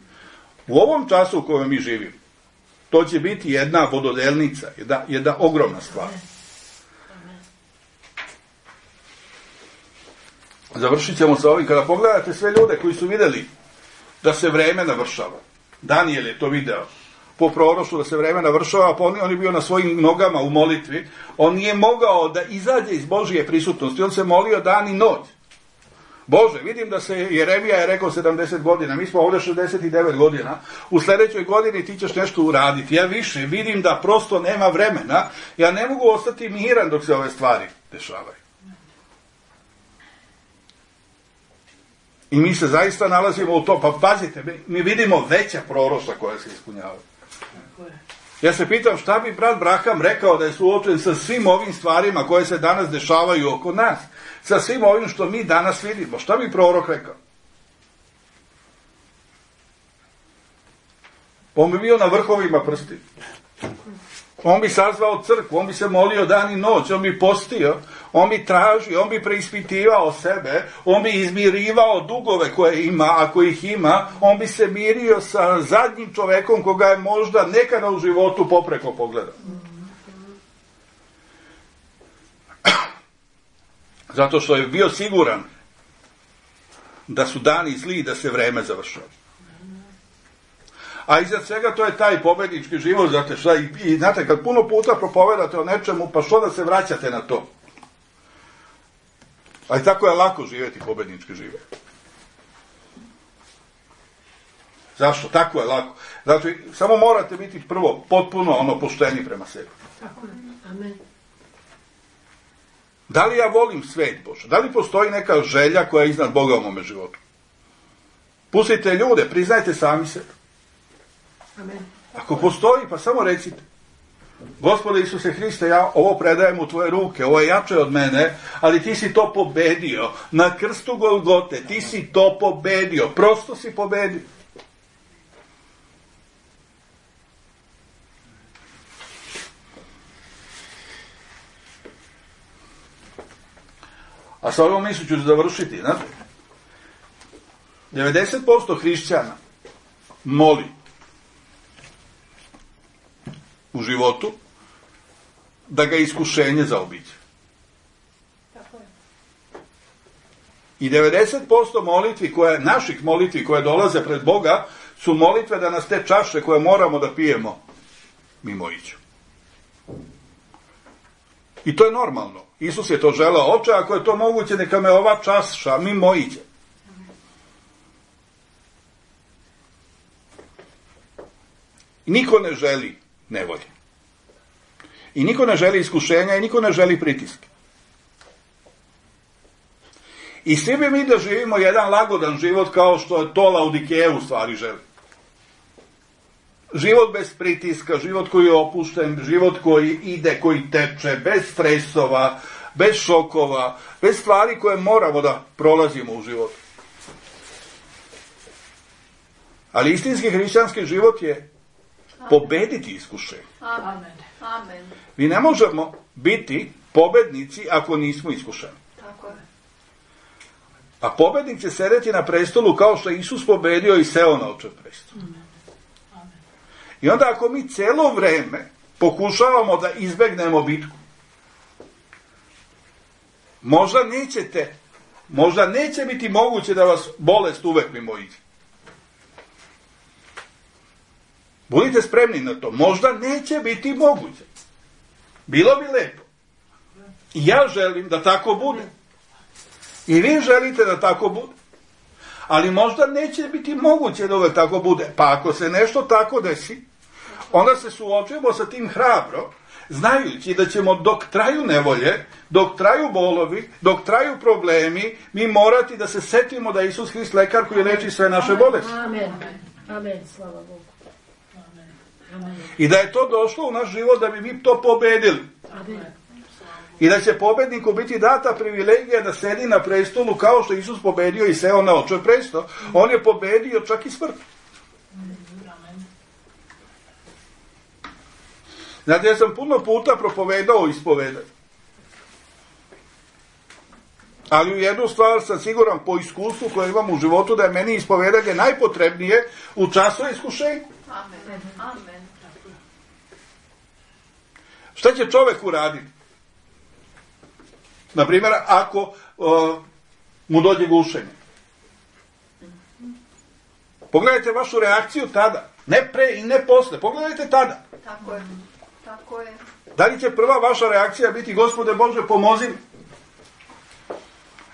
U ovom času u kojem mi živimo, to će biti jedna vododelnica, jedna, jedna ogromna stvar. Završit ćemo sa ovim. Kada pogledate sve ljude koji su vidjeli da se vreme navršava, Danijel je to video, po proroštvu da se vreme navršava, pa on, on je bio na svojim nogama u molitvi, on nije mogao da izađe iz Božije prisutnosti, on se molio dan i noć. Bože, vidim da se Jeremija je rekao sedamdeset godina, mi smo ovdje šezdeset devet godina, u sljedećoj godini ti ćeš nešto uraditi. Ja više vidim da prosto nema vremena, ja ne mogu ostati miran dok se ove stvari dešavaju. I mi se zaista nalazimo u to, pa pazite, mi vidimo veća proroštva koja se ispunjavaju. Ja se pitam šta bi brat Abraham rekao da je suočen sa svim ovim stvarima koje se danas dešavaju oko nas, sa svim ovim što mi danas vidimo. Šta bi prorok rekao? On bi bio na vrhovima prsti. On bi sazvao crkvu, on bi se molio dan i noć, on bi postio, on bi tražio, on bi preispitivao sebe, on bi izmirivao dugove koje ima, ako ih ima, on bi se mirio sa zadnjim čovekom koga je možda nekada u životu popreko pogledao. Zato što je bio siguran da su dani zli, da se vreme završava. A iza svega to je taj pobednički život, znate šta, i, i znate, kad puno puta propovedate o nečemu, pa što da se vraćate na to? A i tako je lako živjeti pobednički život. Zašto? Tako je lako. Znači, samo morate biti prvo potpuno ono pošteni prema sebi. Tako je. Amen. Da li ja volim svet Bože? Da li postoji neka želja koja je iznad Boga u mome životu? Pustite ljude, priznajte sami sebe. Amen. Ako postoji, pa samo recite. Gospode Isuse Hriste, ja ovo predajem u tvoje ruke, ovo je jače od mene, ali ti si to pobedio. Na krstu Golgote, ti si to pobedio. Prosto si pobedio. A sa ovom misli ću završiti, znate? devedeset posto hrišćana moli u životu da ga iskušenje zaobiđe. Tako je. I devedeset posto molitvi koje, naših molitvi koje dolaze pred Boga su molitve da nas te čaše koje moramo da pijemo mimo iđu. I to je normalno. Isus je to želeo. Oče, ako je to moguće, neka me ova čaša mimo iđe. I niko ne želi nevolje. I niko ne želi iskušenja i niko ne želi pritiske. I svi bi mi da živimo jedan lagodan život kao što je to Laodikeja u stvari želi. Život bez pritiska, život koji je opušten, život koji ide, koji teče, bez stresova, bez šokova, bez stvari koje moramo da prolazimo u životu. Ali istinski hrišćanski život je pobediti iskušenje. Amen. Amen. Mi ne možemo biti pobednici ako nismo iskušeni. Tako je. A pobednik će sedeti na prestolu kao što je Isus pobedio i seo na očev prestol. I onda ako mi celo vreme pokušavamo da izbegnemo bitku, možda nećete, možda neće biti moguće da vas bolest uvek mimo iđe. Budite spremni na to. Možda neće biti moguće. Bilo bi lepo. I ja želim da tako bude. I vi želite da tako bude. Ali možda neće biti moguće da uvek tako bude. Pa ako se nešto tako desi, onda se suočujemo sa tim hrabro, znajući da ćemo dok traju nevolje, dok traju bolovi, dok traju problemi, mi morati da se setimo da je Isus Hrist lekar koji leči sve naše bolesti. Amen. Amen. Slava Bogu. I da je to došlo u naš život da bi mi to pobedili. Amen. I da će pobedniku biti data privilegija da sedi na prestolu kao što Isus pobedio i seo na očev prestol. On je pobedio čak i smrt. Znate, ja sam puno puta propovedao ispovedanje. Ali u jednu stvar sam siguran po iskustvu koje imam u životu da je meni ispovedanje najpotrebnije u času iskušenja. Amen. Amen. Šta će čovek uraditi? Naprimjer, ako uh, mu dođe gušenje. Pogledajte vašu reakciju tada. Ne pre i ne posle. Pogledajte tada. Tako je. Tako je. Da li će prva vaša reakcija biti Gospode Bože pomozi mi?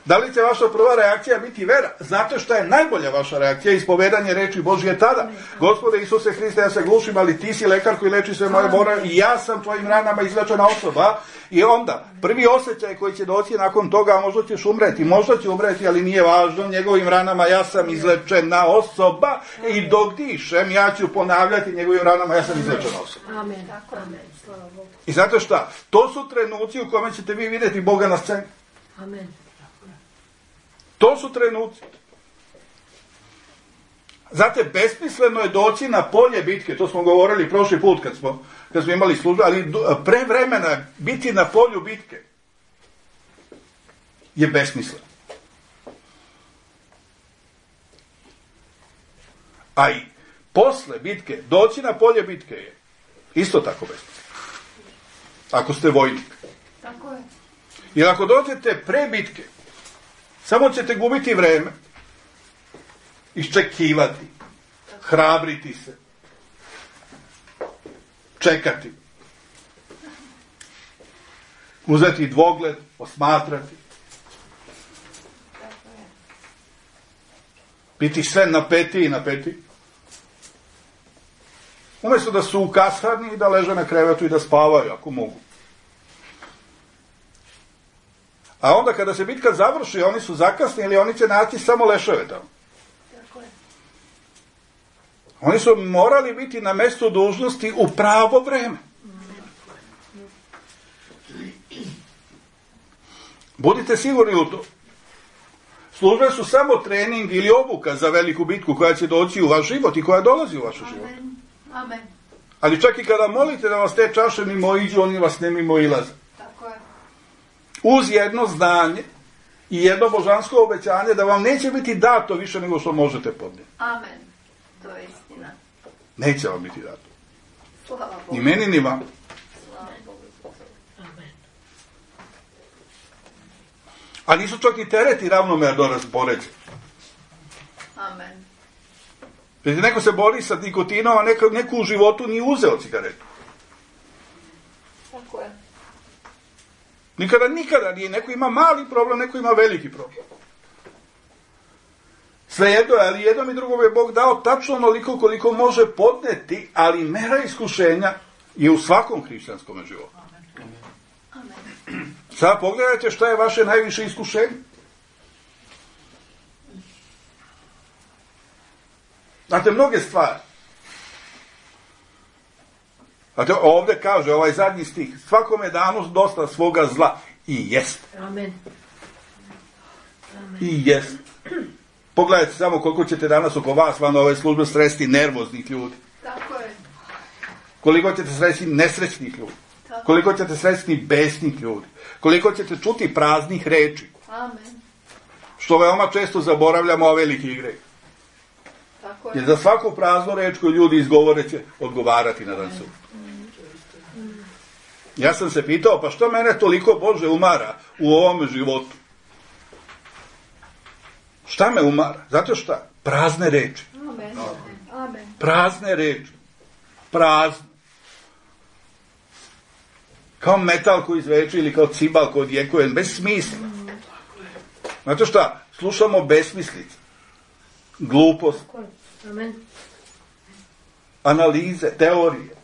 Da li će vaša prva reakcija biti vera? Znate šta je najbolja vaša reakcija? Ispovedanje reči Božje tada. Gospode Isuse Hriste, ja se glušim, ali ti si lekar koji leči sve moje bore i ja sam tvojim ranama izlečena osoba. I onda, prvi osjećaj koji će doći nakon toga, a možda ćeš umreti, možda će umreti, ali nije važno, njegovim ranama ja sam izlečena osoba i dok dišem, ja ću ponavljati njegovim ranama, ja sam izlečena osoba. Amen. Amen. Slava Bogu. I znate šta? To su trenuci u kome ćete vi vidjeti Boga na sceni. Amen. To su trenuci. Znate, besmisleno je doći na polje bitke, to smo govorili prošli put kad smo, kad smo imali službu, ali pre vremena biti na polju bitke je besmisleno. A i posle bitke, doći na polje bitke je isto tako besmisleno. Ako ste vojnik. Tako je. Jer ako dođete pre bitke, samo ćete gubiti vreme, iščekivati, hrabriti se, čekati, uzeti dvogled, osmatrati, biti sve napeti i napeti. Umjesto da su u kasarni i da leže na krevetu i da spavaju, ako mogu. A onda kada se bitka završi, oni su zakasnili, oni će naći samo leševe tamo. Tako je. Oni su morali biti na mjestu dužnosti u pravo vreme. Budite sigurni u to. Službe su samo trening ili obuka za veliku bitku koja će doći u vaš život i koja dolazi u vaš život. Amen. Amen. Ali čak i kada molite da vas te čaše mimo iđu, oni vas ne mimo ilaze. Tako je. Uz jedno znanje i jedno božansko obećanje da vam neće biti dato više nego što možete podnijeti. Amen. To je istina. Neće vam biti dato. Slava Bogu. Ni meni, ni vam. Slava Bogu. Amen. A nisu čak i tereti ravnomerno raspoređeni. Amen. Znači, neko se bori sa nikotinom, a neko, neko u životu nije uzeo cigaretu. Tako je. Nikada, nikada nije. Neko ima mali problem, neko ima veliki problem. Svejedno je, ali jednom i drugom je Bog dao tačno onoliko koliko može podneti, ali mera iskušenja je u svakom hrišćanskom životu. Amen. Sad pogledajte šta je vaše najviše iskušenje. Znate, mnoge stvari. Znate, ovdje kaže ovaj zadnji stih, svakome danu dosta svoga zla. I jest. Amen. I jest. Pogledajte samo koliko ćete danas oko vas van ove službe sresti nervoznih ljudi. Tako je. Koliko ćete sresti nesrećnih ljudi. Tako. Koliko ćete sresti besnih ljudi. Koliko ćete čuti praznih reči. Amen. Što veoma često zaboravljamo ove velike igre. Tako Jer je. za svaku praznu reč koju ljudi izgovore će odgovarati na dan suda. Ja sam se pitao, pa što mene toliko Bože umara u ovom životu? Šta me umara? Zato šta? Prazne reči. Amen. Amen. Prazne reči. Prazne. Kao metal koji izveče ili kao cibal koji odjekuje, bez smisla. Znate šta? Slušamo besmislice. Glupost. Amen. Analize, teorije.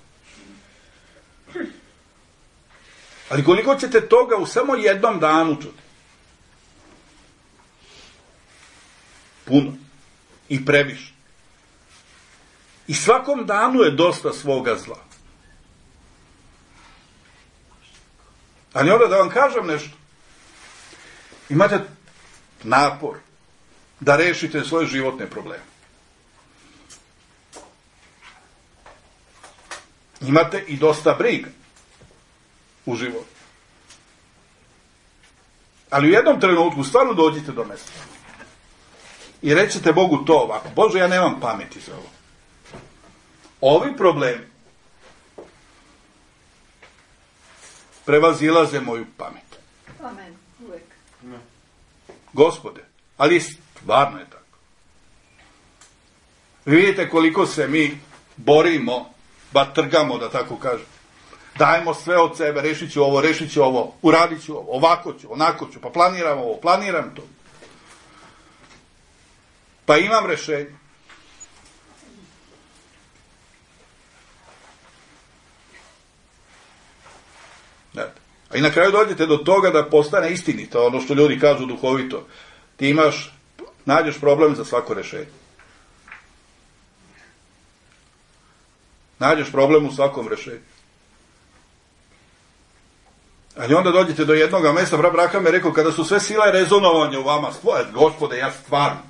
Ali koliko ćete toga u samo jednom danu čuti? Puno. I previše. I svakom danu je dosta svoga zla. Ali onda da vam kažem nešto. Imate napor da rešite svoje životne probleme. Imate i dosta briga u životu. Ali u jednom trenutku stvarno dođite do mjesta. I rećete Bogu to ovako. Bože, ja nemam pameti za ovo. Ovi problemi prevazilaze moju pamet. Amen. Uvijek. Gospode, ali stvarno je tako. Vi vidite koliko se mi borimo, ba trgamo, da tako kažem. Dajemo sve od sebe, rešit ću ovo, rešit ću ovo, uradit ću ovo, ovako ću, onako ću, pa planiram ovo, planiram to. Pa imam rešenje. A i na kraju dođete do toga da postane istinito, ono što ljudi kažu duhovito. Ti imaš, nađeš problem za svako rešenje. Nađeš problem u svakom rešenju. Ali onda dođete do jednoga mjesta, brat Braham je rekao, kada su sve sile rezonovanja u vama, stvoje, Gospode, ja stvarno.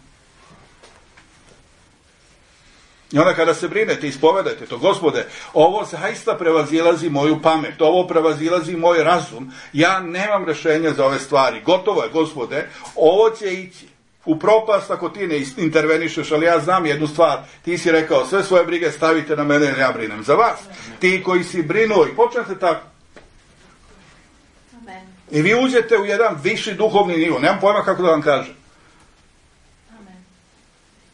I onda kada se brinete, ispovedajte to, Gospode, ovo zaista prevazilazi moju pamet, ovo prevazilazi moj razum, ja nemam rešenja za ove stvari, gotovo je, Gospode, ovo će ići u propast ako ti ne intervenišeš, ali ja znam jednu stvar, ti si rekao, sve svoje brige stavite na mene jer ja brinem za vas. Ti koji si brinuo i počnete tako. Amen. I vi uđete u jedan viši duhovni nivo, nemam pojma kako da vam kažem. Amen.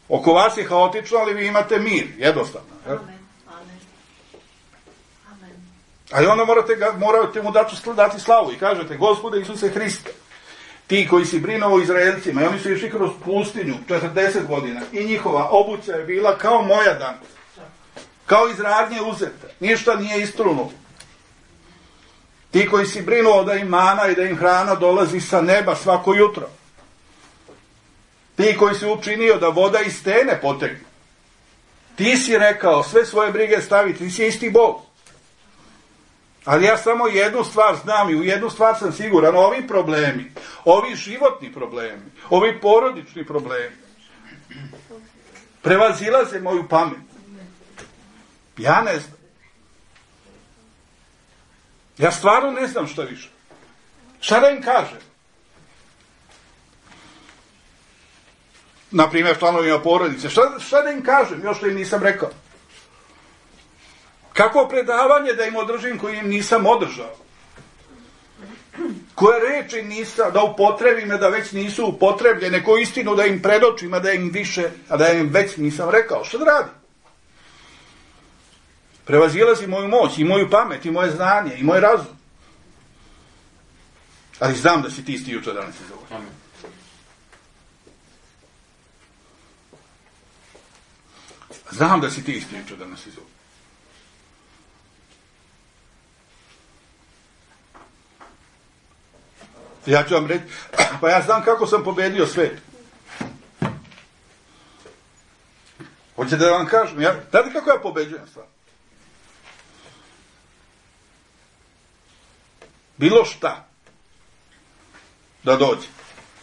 Oko vas je haotično, ali vi imate mir, jednostavno. Je? Amen. Amen. Amen. Ali onda morate, ga, morate mu dati, dati slavu i kažete, Gospode Isuse Hriste, ti koji si brinuo o Izraelcima, i oni su išli kroz pustinju četrdeset godina, i njihova obuća je bila kao moja danas. kao iz radnje uzete. Ništa nije istrunulo. Ti koji si brinuo da im mana i da im hrana dolazi sa neba svako jutro. Ti koji si učinio da voda iz stene potekne. Ti si rekao sve svoje brige staviti, ti si isti Bog. Ali ja samo jednu stvar znam i u jednu stvar sam siguran, ovi problemi, ovi životni problemi, ovi porodični problemi, prevazilaze moju pamet. Ja ne znam. Ja stvarno ne znam šta više. Šta da im kažem? Naprimjer, članovima porodice. Šta, šta da im kažem? Još što im nisam rekao. Kako predavanje da im održim koje im nisam održao? Koje reči nisam, da upotrebim, da već nisu upotrebljene, koju istinu da im predočim, a da im više, a da im već nisam rekao. Šta da radim? Prevazilazi moju moć i moju pamet i moje znanje i moj razum. Ali znam da si ti isti jučer, danas i za ovo. Znam da si ti isti jučer, danas i za ovo. Ja ću vam reći, pa ja znam kako sam pobedio svet. Hoćete da vam kažem, ja, znate kako ja pobeđujem stvar? Bilo šta da dođe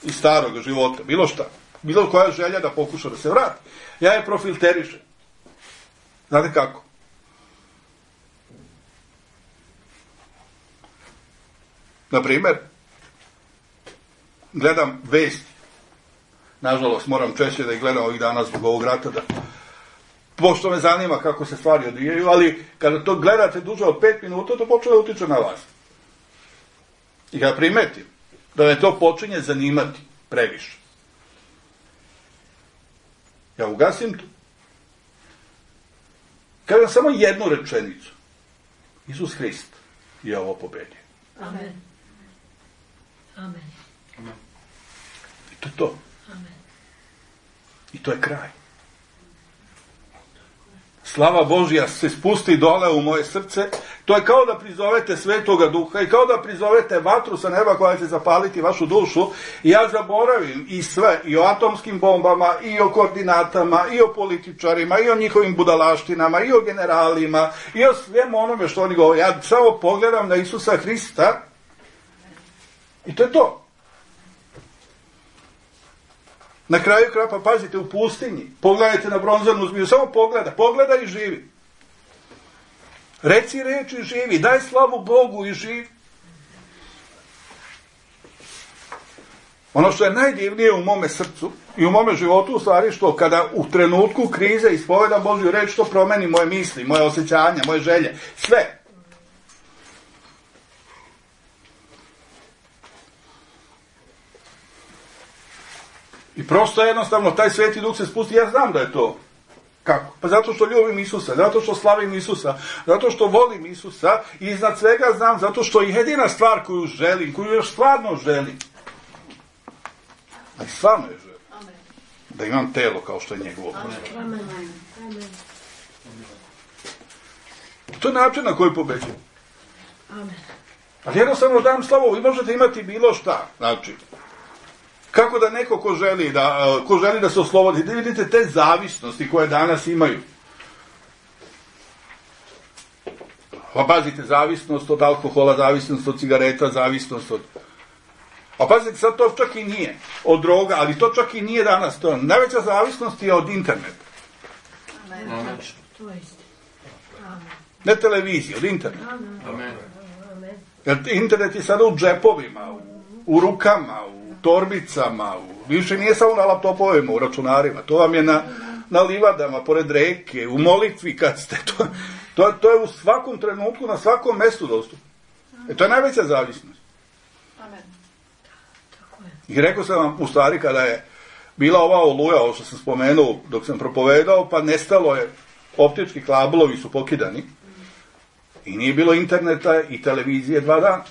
iz starog života, bilo šta, bilo koja želja da pokuša da se vrati, ja je profilterišem. Znate kako? Naprimjer, gledam vesti. Nažalost, moram češće da ih gledam ovih dana zbog ovog rata, da, pošto me zanima kako se stvari odvijaju, ali kada to gledate duže od pet minuta, to počne da utiče na vas. I kada primetim da me to počinje zanimati previše, ja ugasim to. Kažem samo jednu rečenicu. Isus Hrist je ovo pobedio. Amen. Amen. I to je to. Amen. I to je kraj. Slava Božja se spusti dole u moje srce. To je kao da prizovete Svetoga Duha i kao da prizovete vatru sa neba koja će zapaliti vašu dušu. I ja zaboravim i sve, i o atomskim bombama, i o koordinatama, i o političarima, i o njihovim budalaštinama, i o generalima, i o svemu onome što oni govore. Ja samo pogledam na Isusa Hrista i to je to. Na kraju kraja, pa pazite, u pustinji, pogledajte na bronzanu zmiju, samo pogleda, pogleda i živi. Reci reč i živi, daj slavu Bogu i živi. Ono što je najdivnije u mome srcu i u mome životu, u stvari, što kada u trenutku krize ispovedam Božju reč, to promeni moje misli, moje osjećanja, moje želje, sve. I prosto jednostavno taj Sveti Duh se spusti, ja znam da je to. Kako? Pa zato što ljubim Isusa, zato što slavim Isusa, zato što volim Isusa i iznad svega znam, zato što je jedina stvar koju želim, koju još stvarno želim. Ali stvarno je želim. Amen. Da imam telo kao što je njegovo. Amen. Amen. To je način na koji pobeđujem. Amen. Ali jednostavno dam slavu, vi možete imati bilo šta. Znači, kako da neko ko želi da, ko želi da se oslobodi, da vidite te zavisnosti koje danas imaju. Pa pazite, zavisnost od alkohola, zavisnost od cigareta, zavisnost od... A pazite, sad to čak i nije od droga, ali to čak i nije danas. To. Najveća zavisnost je od interneta. Amen. Amen. To je isti. Amen. Ne televizije, od interneta. Amen. Amen. Amen. Jer internet je sada u džepovima, u, u rukama, u torbicama, u, više nije samo na laptopovima, u računarima. To vam je na, na livadama, pored reke, u molitvi kad ste. To, to, to je u svakom trenutku, na svakom mestu dostupno. E, to je najveća zavisnost. Amen. I rekao sam vam, u stvari, kada je bila ova oluja, ovo što sam spomenuo dok sam propovedao, pa nestalo je, optički kablovi su pokidani i nije bilo interneta i televizije dva dana.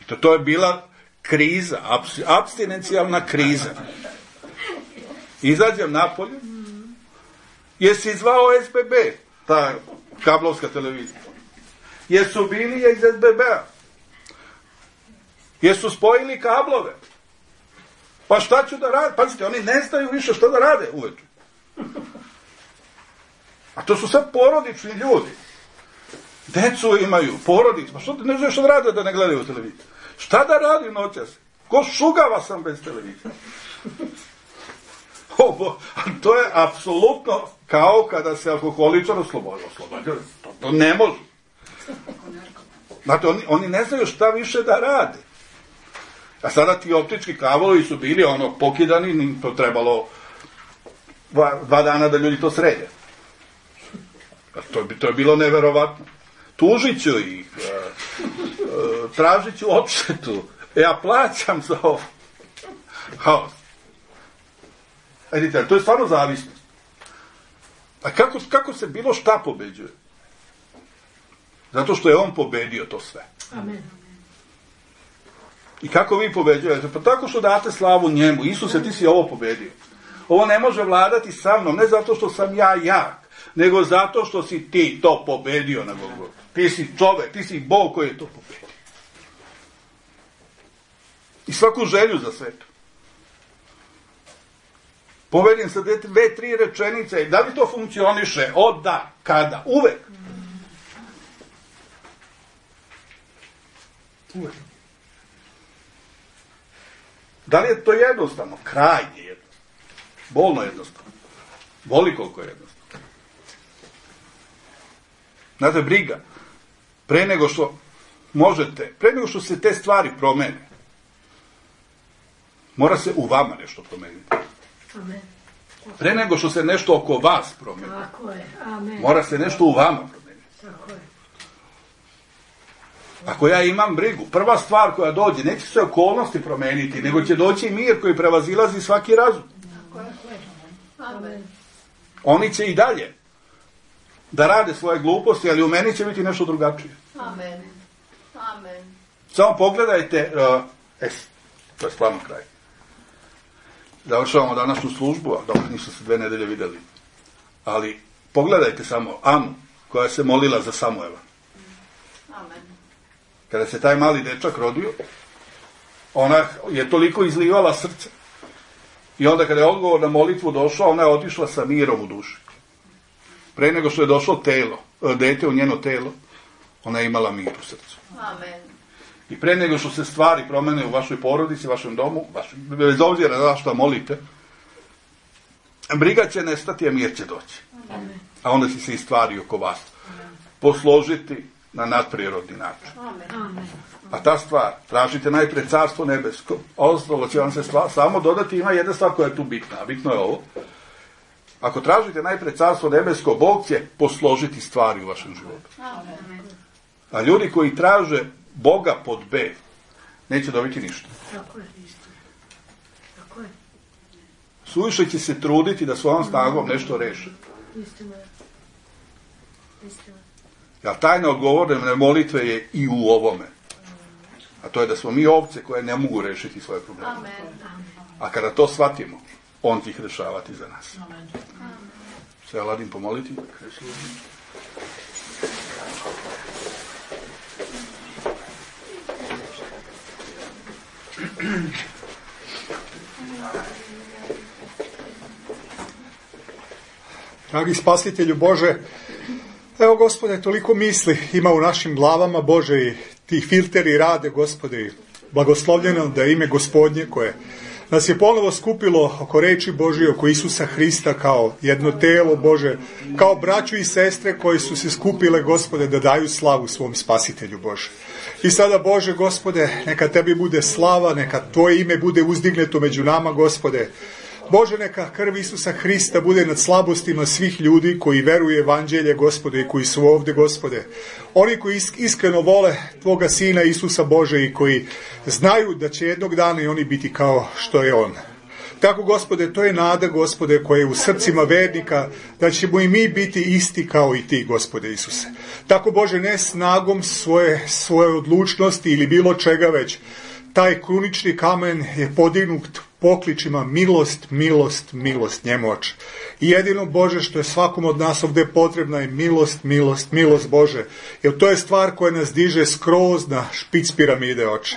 I to, to je bila kriza, abs, abstinencijalna kriza. Izađem napolje Jesi zvao S B B, ta kablovska televizija? Jesu bili iz S B B-a? Jesu spojili kablove? Pa šta ću da rade? Pazite, oni ne znaju više šta da rade uveče. A to su sad porodični ljudi. Decu imaju, porodicu. Pa što ne znaju šta da rade da ne gledaju televiziju? Šta da radim noćas? Ko šugava sam bez televizije? Ovo, to je apsolutno kao kada se alkoholičar oslobodio. To, to ne može. Znate, oni, oni ne znaju šta više da rade. A sada ti optički kablovi su bili ono pokidani, to trebalo dva, dva dana da ljudi to srede. To, to je bilo neverovatno. Tužit ću ih, tražit ću odštetu, ja plaćam za ovo. Haos. Vidite, to je stvarno zavisnost. A kako, kako se bilo šta pobeđuje? Zato što je on pobedio to sve. Amen. I kako vi pobeđujete? Pa tako što date slavu njemu. Isuse, ti si ovo pobedio. Ovo ne može vladati sa mnom, ne zato što sam ja jak, nego zato što si ti to pobedio na Golgotu. Ti si čovek, ti si Bog koji je to pobedio. I svaku želju za svetu. Povedim sa dve, dve, tri rečenice. Da li to funkcioniše? Od da, kada? Uvek. Uvek. Da li je to jednostavno? Krajnje jednostavno. Bolno jednostavno. Boli koliko je jednostavno. Znate, briga. Pre nego što možete, pre nego što se te stvari promene, mora se u vama nešto promeniti. Amen. Pre nego što se nešto oko vas promeni, Tako je. Amen. mora se nešto u vama promeniti. Tako je. Ako ja imam brigu, prva stvar koja dođe, neće se okolnosti promeniti, nego će doći mir koji prevazilazi svaki razum. Tako je. Amen. Oni će i dalje da rade svoje gluposti, ali u meni će biti nešto drugačije. Amen. Amen. Samo pogledajte, uh, es, to je stvarno kraj. Završavamo današnju službu, a dobro, nisu se dve nedelje videli. Ali pogledajte samo Anu, koja se molila za Samuela. Amen. Kada se taj mali dečak rodio, ona je toliko izlivala srce. I onda kada je odgovor na molitvu došao, ona je otišla sa mirom u duši. Pre nego što je došlo telo, dete u njeno telo, ona je imala mir u srcu. Amen. I pre nego što se stvari promene u vašoj porodici, vašem domu, vaš, bez obzira na što molite, briga će nestati, a mir će doći. Amen. A onda će se i stvari oko vas posložiti na nadprirodni način. Amen. A ta stvar, tražite najpre carstvo nebesko, ostalo će vam se stvar, samo dodati, ima jedna stvar koja je tu bitna, a bitno je ovo. Ako tražite najpre carstvo nebesko, Bog će posložiti stvari u vašem životu. Amen. A ljudi koji traže Boga pod B, neće dobiti ništa. Tako je. Tako je. Suviše će se truditi da svojom snagom nešto reše. Istina je. Istina. Jer tajna odgovorne molitve je i u ovome. A to je da smo mi ovce koje ne mogu rešiti svoje probleme. Amen. A kada to shvatimo, on će ih rešavati za nas. Amen. Se Aladin pomoliti? Dragi spasitelju Bože, evo Gospode, toliko misli ima u našim glavama, Bože, i ti filteri rade, Gospode, i blagoslovljeno da ime Gospodnje koje nas je ponovo skupilo oko reči Božije, oko Isusa Hrista kao jedno telo, Bože, kao braću i sestre koji su se skupile, Gospode, da daju slavu svom spasitelju, Bože. I sada, Bože, Gospode, neka tebi bude slava, neka tvoje ime bude uzdigneto među nama, Gospode. Bože, neka krv Isusa Hrista bude nad slabostima svih ljudi koji veruju evanđelje, Gospode, i koji su ovde, Gospode. Oni koji iskreno vole Tvoga Sina Isusa, Bože, i koji znaju da će jednog dana i oni biti kao što je On. Tako, Gospode, to je nada, Gospode, koja je u srcima vernika, da ćemo i mi biti isti kao i Ti, Gospode Isuse. Tako, Bože, ne snagom svoje, svoje odlučnosti ili bilo čega već, taj krunični kamen je podignut pokličima milost, milost, milost njemu, Oče. I jedino, Bože, što je svakom od nas ovdje potrebna je milost, milost, milost, Bože. Jer to je stvar koja nas diže skroz na špic piramide, Oče.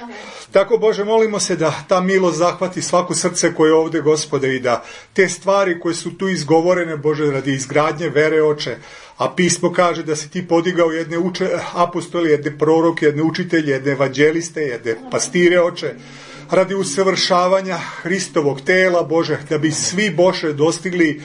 Tako, Bože, molimo se da ta milost zahvati svako srce koje je ovdje, Gospode, i da te stvari koje su tu izgovorene, Bože, radi izgradnje vere, Oče, a pismo kaže da si ti podigao jedne uče, apostoli, jedne proroke, jedne učitelje, jedne evanđeliste, jedne pastire, Oče, radi usavršavanja Hristovog tela, Bože, da bi svi, Bože, dostigli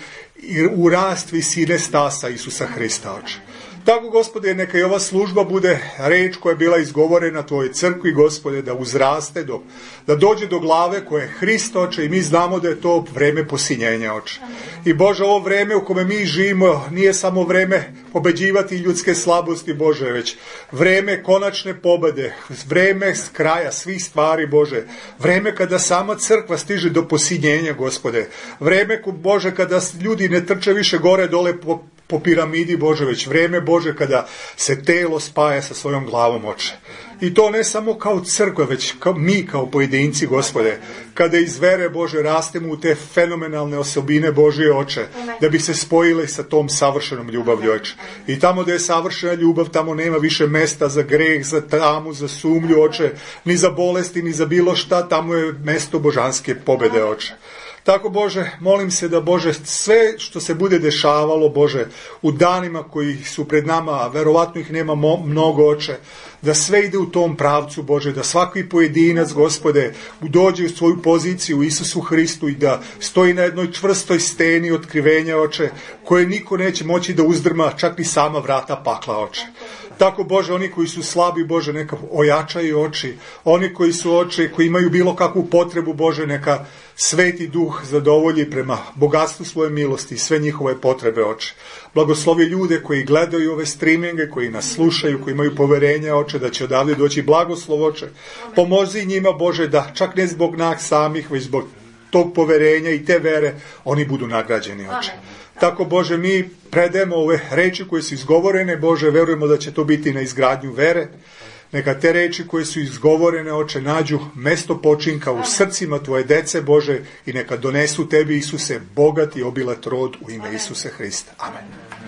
u rast visine stasa Isusa Hrista, Oče. Tako, Gospode, neka i ova služba bude reč koja je bila izgovorena Tvojoj crkvi, Gospode, da uzraste, do, da dođe do glave koje je Hrist, Oče, i mi znamo da je to vreme posinjenja, Oče. I Bože, ovo vreme u kome mi živimo nije samo vreme pobeđivati ljudske slabosti, Bože, već vreme konačne pobede, vreme kraja svih stvari, Bože, vreme kada sama crkva stiže do posinjenja, Gospode, vreme, Bože, kada ljudi ne trče više gore dole po po piramidi, Bože, već vreme, Bože, kada se telo spaja sa svojom glavom, Oče. I to ne samo kao crkva, već kao mi kao pojedinci, Gospode, kada iz vere, Bože, rastemo u te fenomenalne osobine Božje, Oče, da bi se spojili sa tom savršenom ljubavlju, Oče. I tamo gdje je savršena ljubav, tamo nema više mesta za greh, za tamu, za sumlju, Oče, ni za bolesti, ni za bilo šta, tamo je mesto božanske pobede, Oče. Tako, Bože, molim se da, Bože, sve što se bude dešavalo, Bože, u danima koji su pred nama, a verovatno ih nema mnogo, Oče, da sve ide u tom pravcu, Bože, da svaki pojedinac, Gospode, dođe u svoju poziciju u Isusu Hristu i da stoji na jednoj čvrstoj steni otkrivenja, Oče, koje niko neće moći da uzdrma, čak ni sama vrata pakla, Oče. Tako, Bože, oni koji su slabi, Bože, neka ojačaju oči. Oni koji su oči, koji imaju bilo kakvu potrebu, Bože, neka Sveti Duh zadovolji prema bogatstvu svoje milosti i sve njihove potrebe, Oče. Blagoslovi ljude koji gledaju ove streaminge, koji nas slušaju, koji imaju poverenja, Oče, da će odavde doći blagoslov, Oče. Pomozi njima, Bože, da čak ne zbog nas samih, već zbog tog poverenja i te vere, oni budu nagrađeni, Oče. Tako, Bože, mi predajemo ove reči koje su izgovorene, Bože, verujemo da će to biti na izgradnju vere. Neka te reči koje su izgovorene, Oče, nađu mesto počinka u srcima Tvoje dece, Bože, i neka donesu Tebi, Isuse, bogat i obilat rod u ime Isuse Hrista. Amen.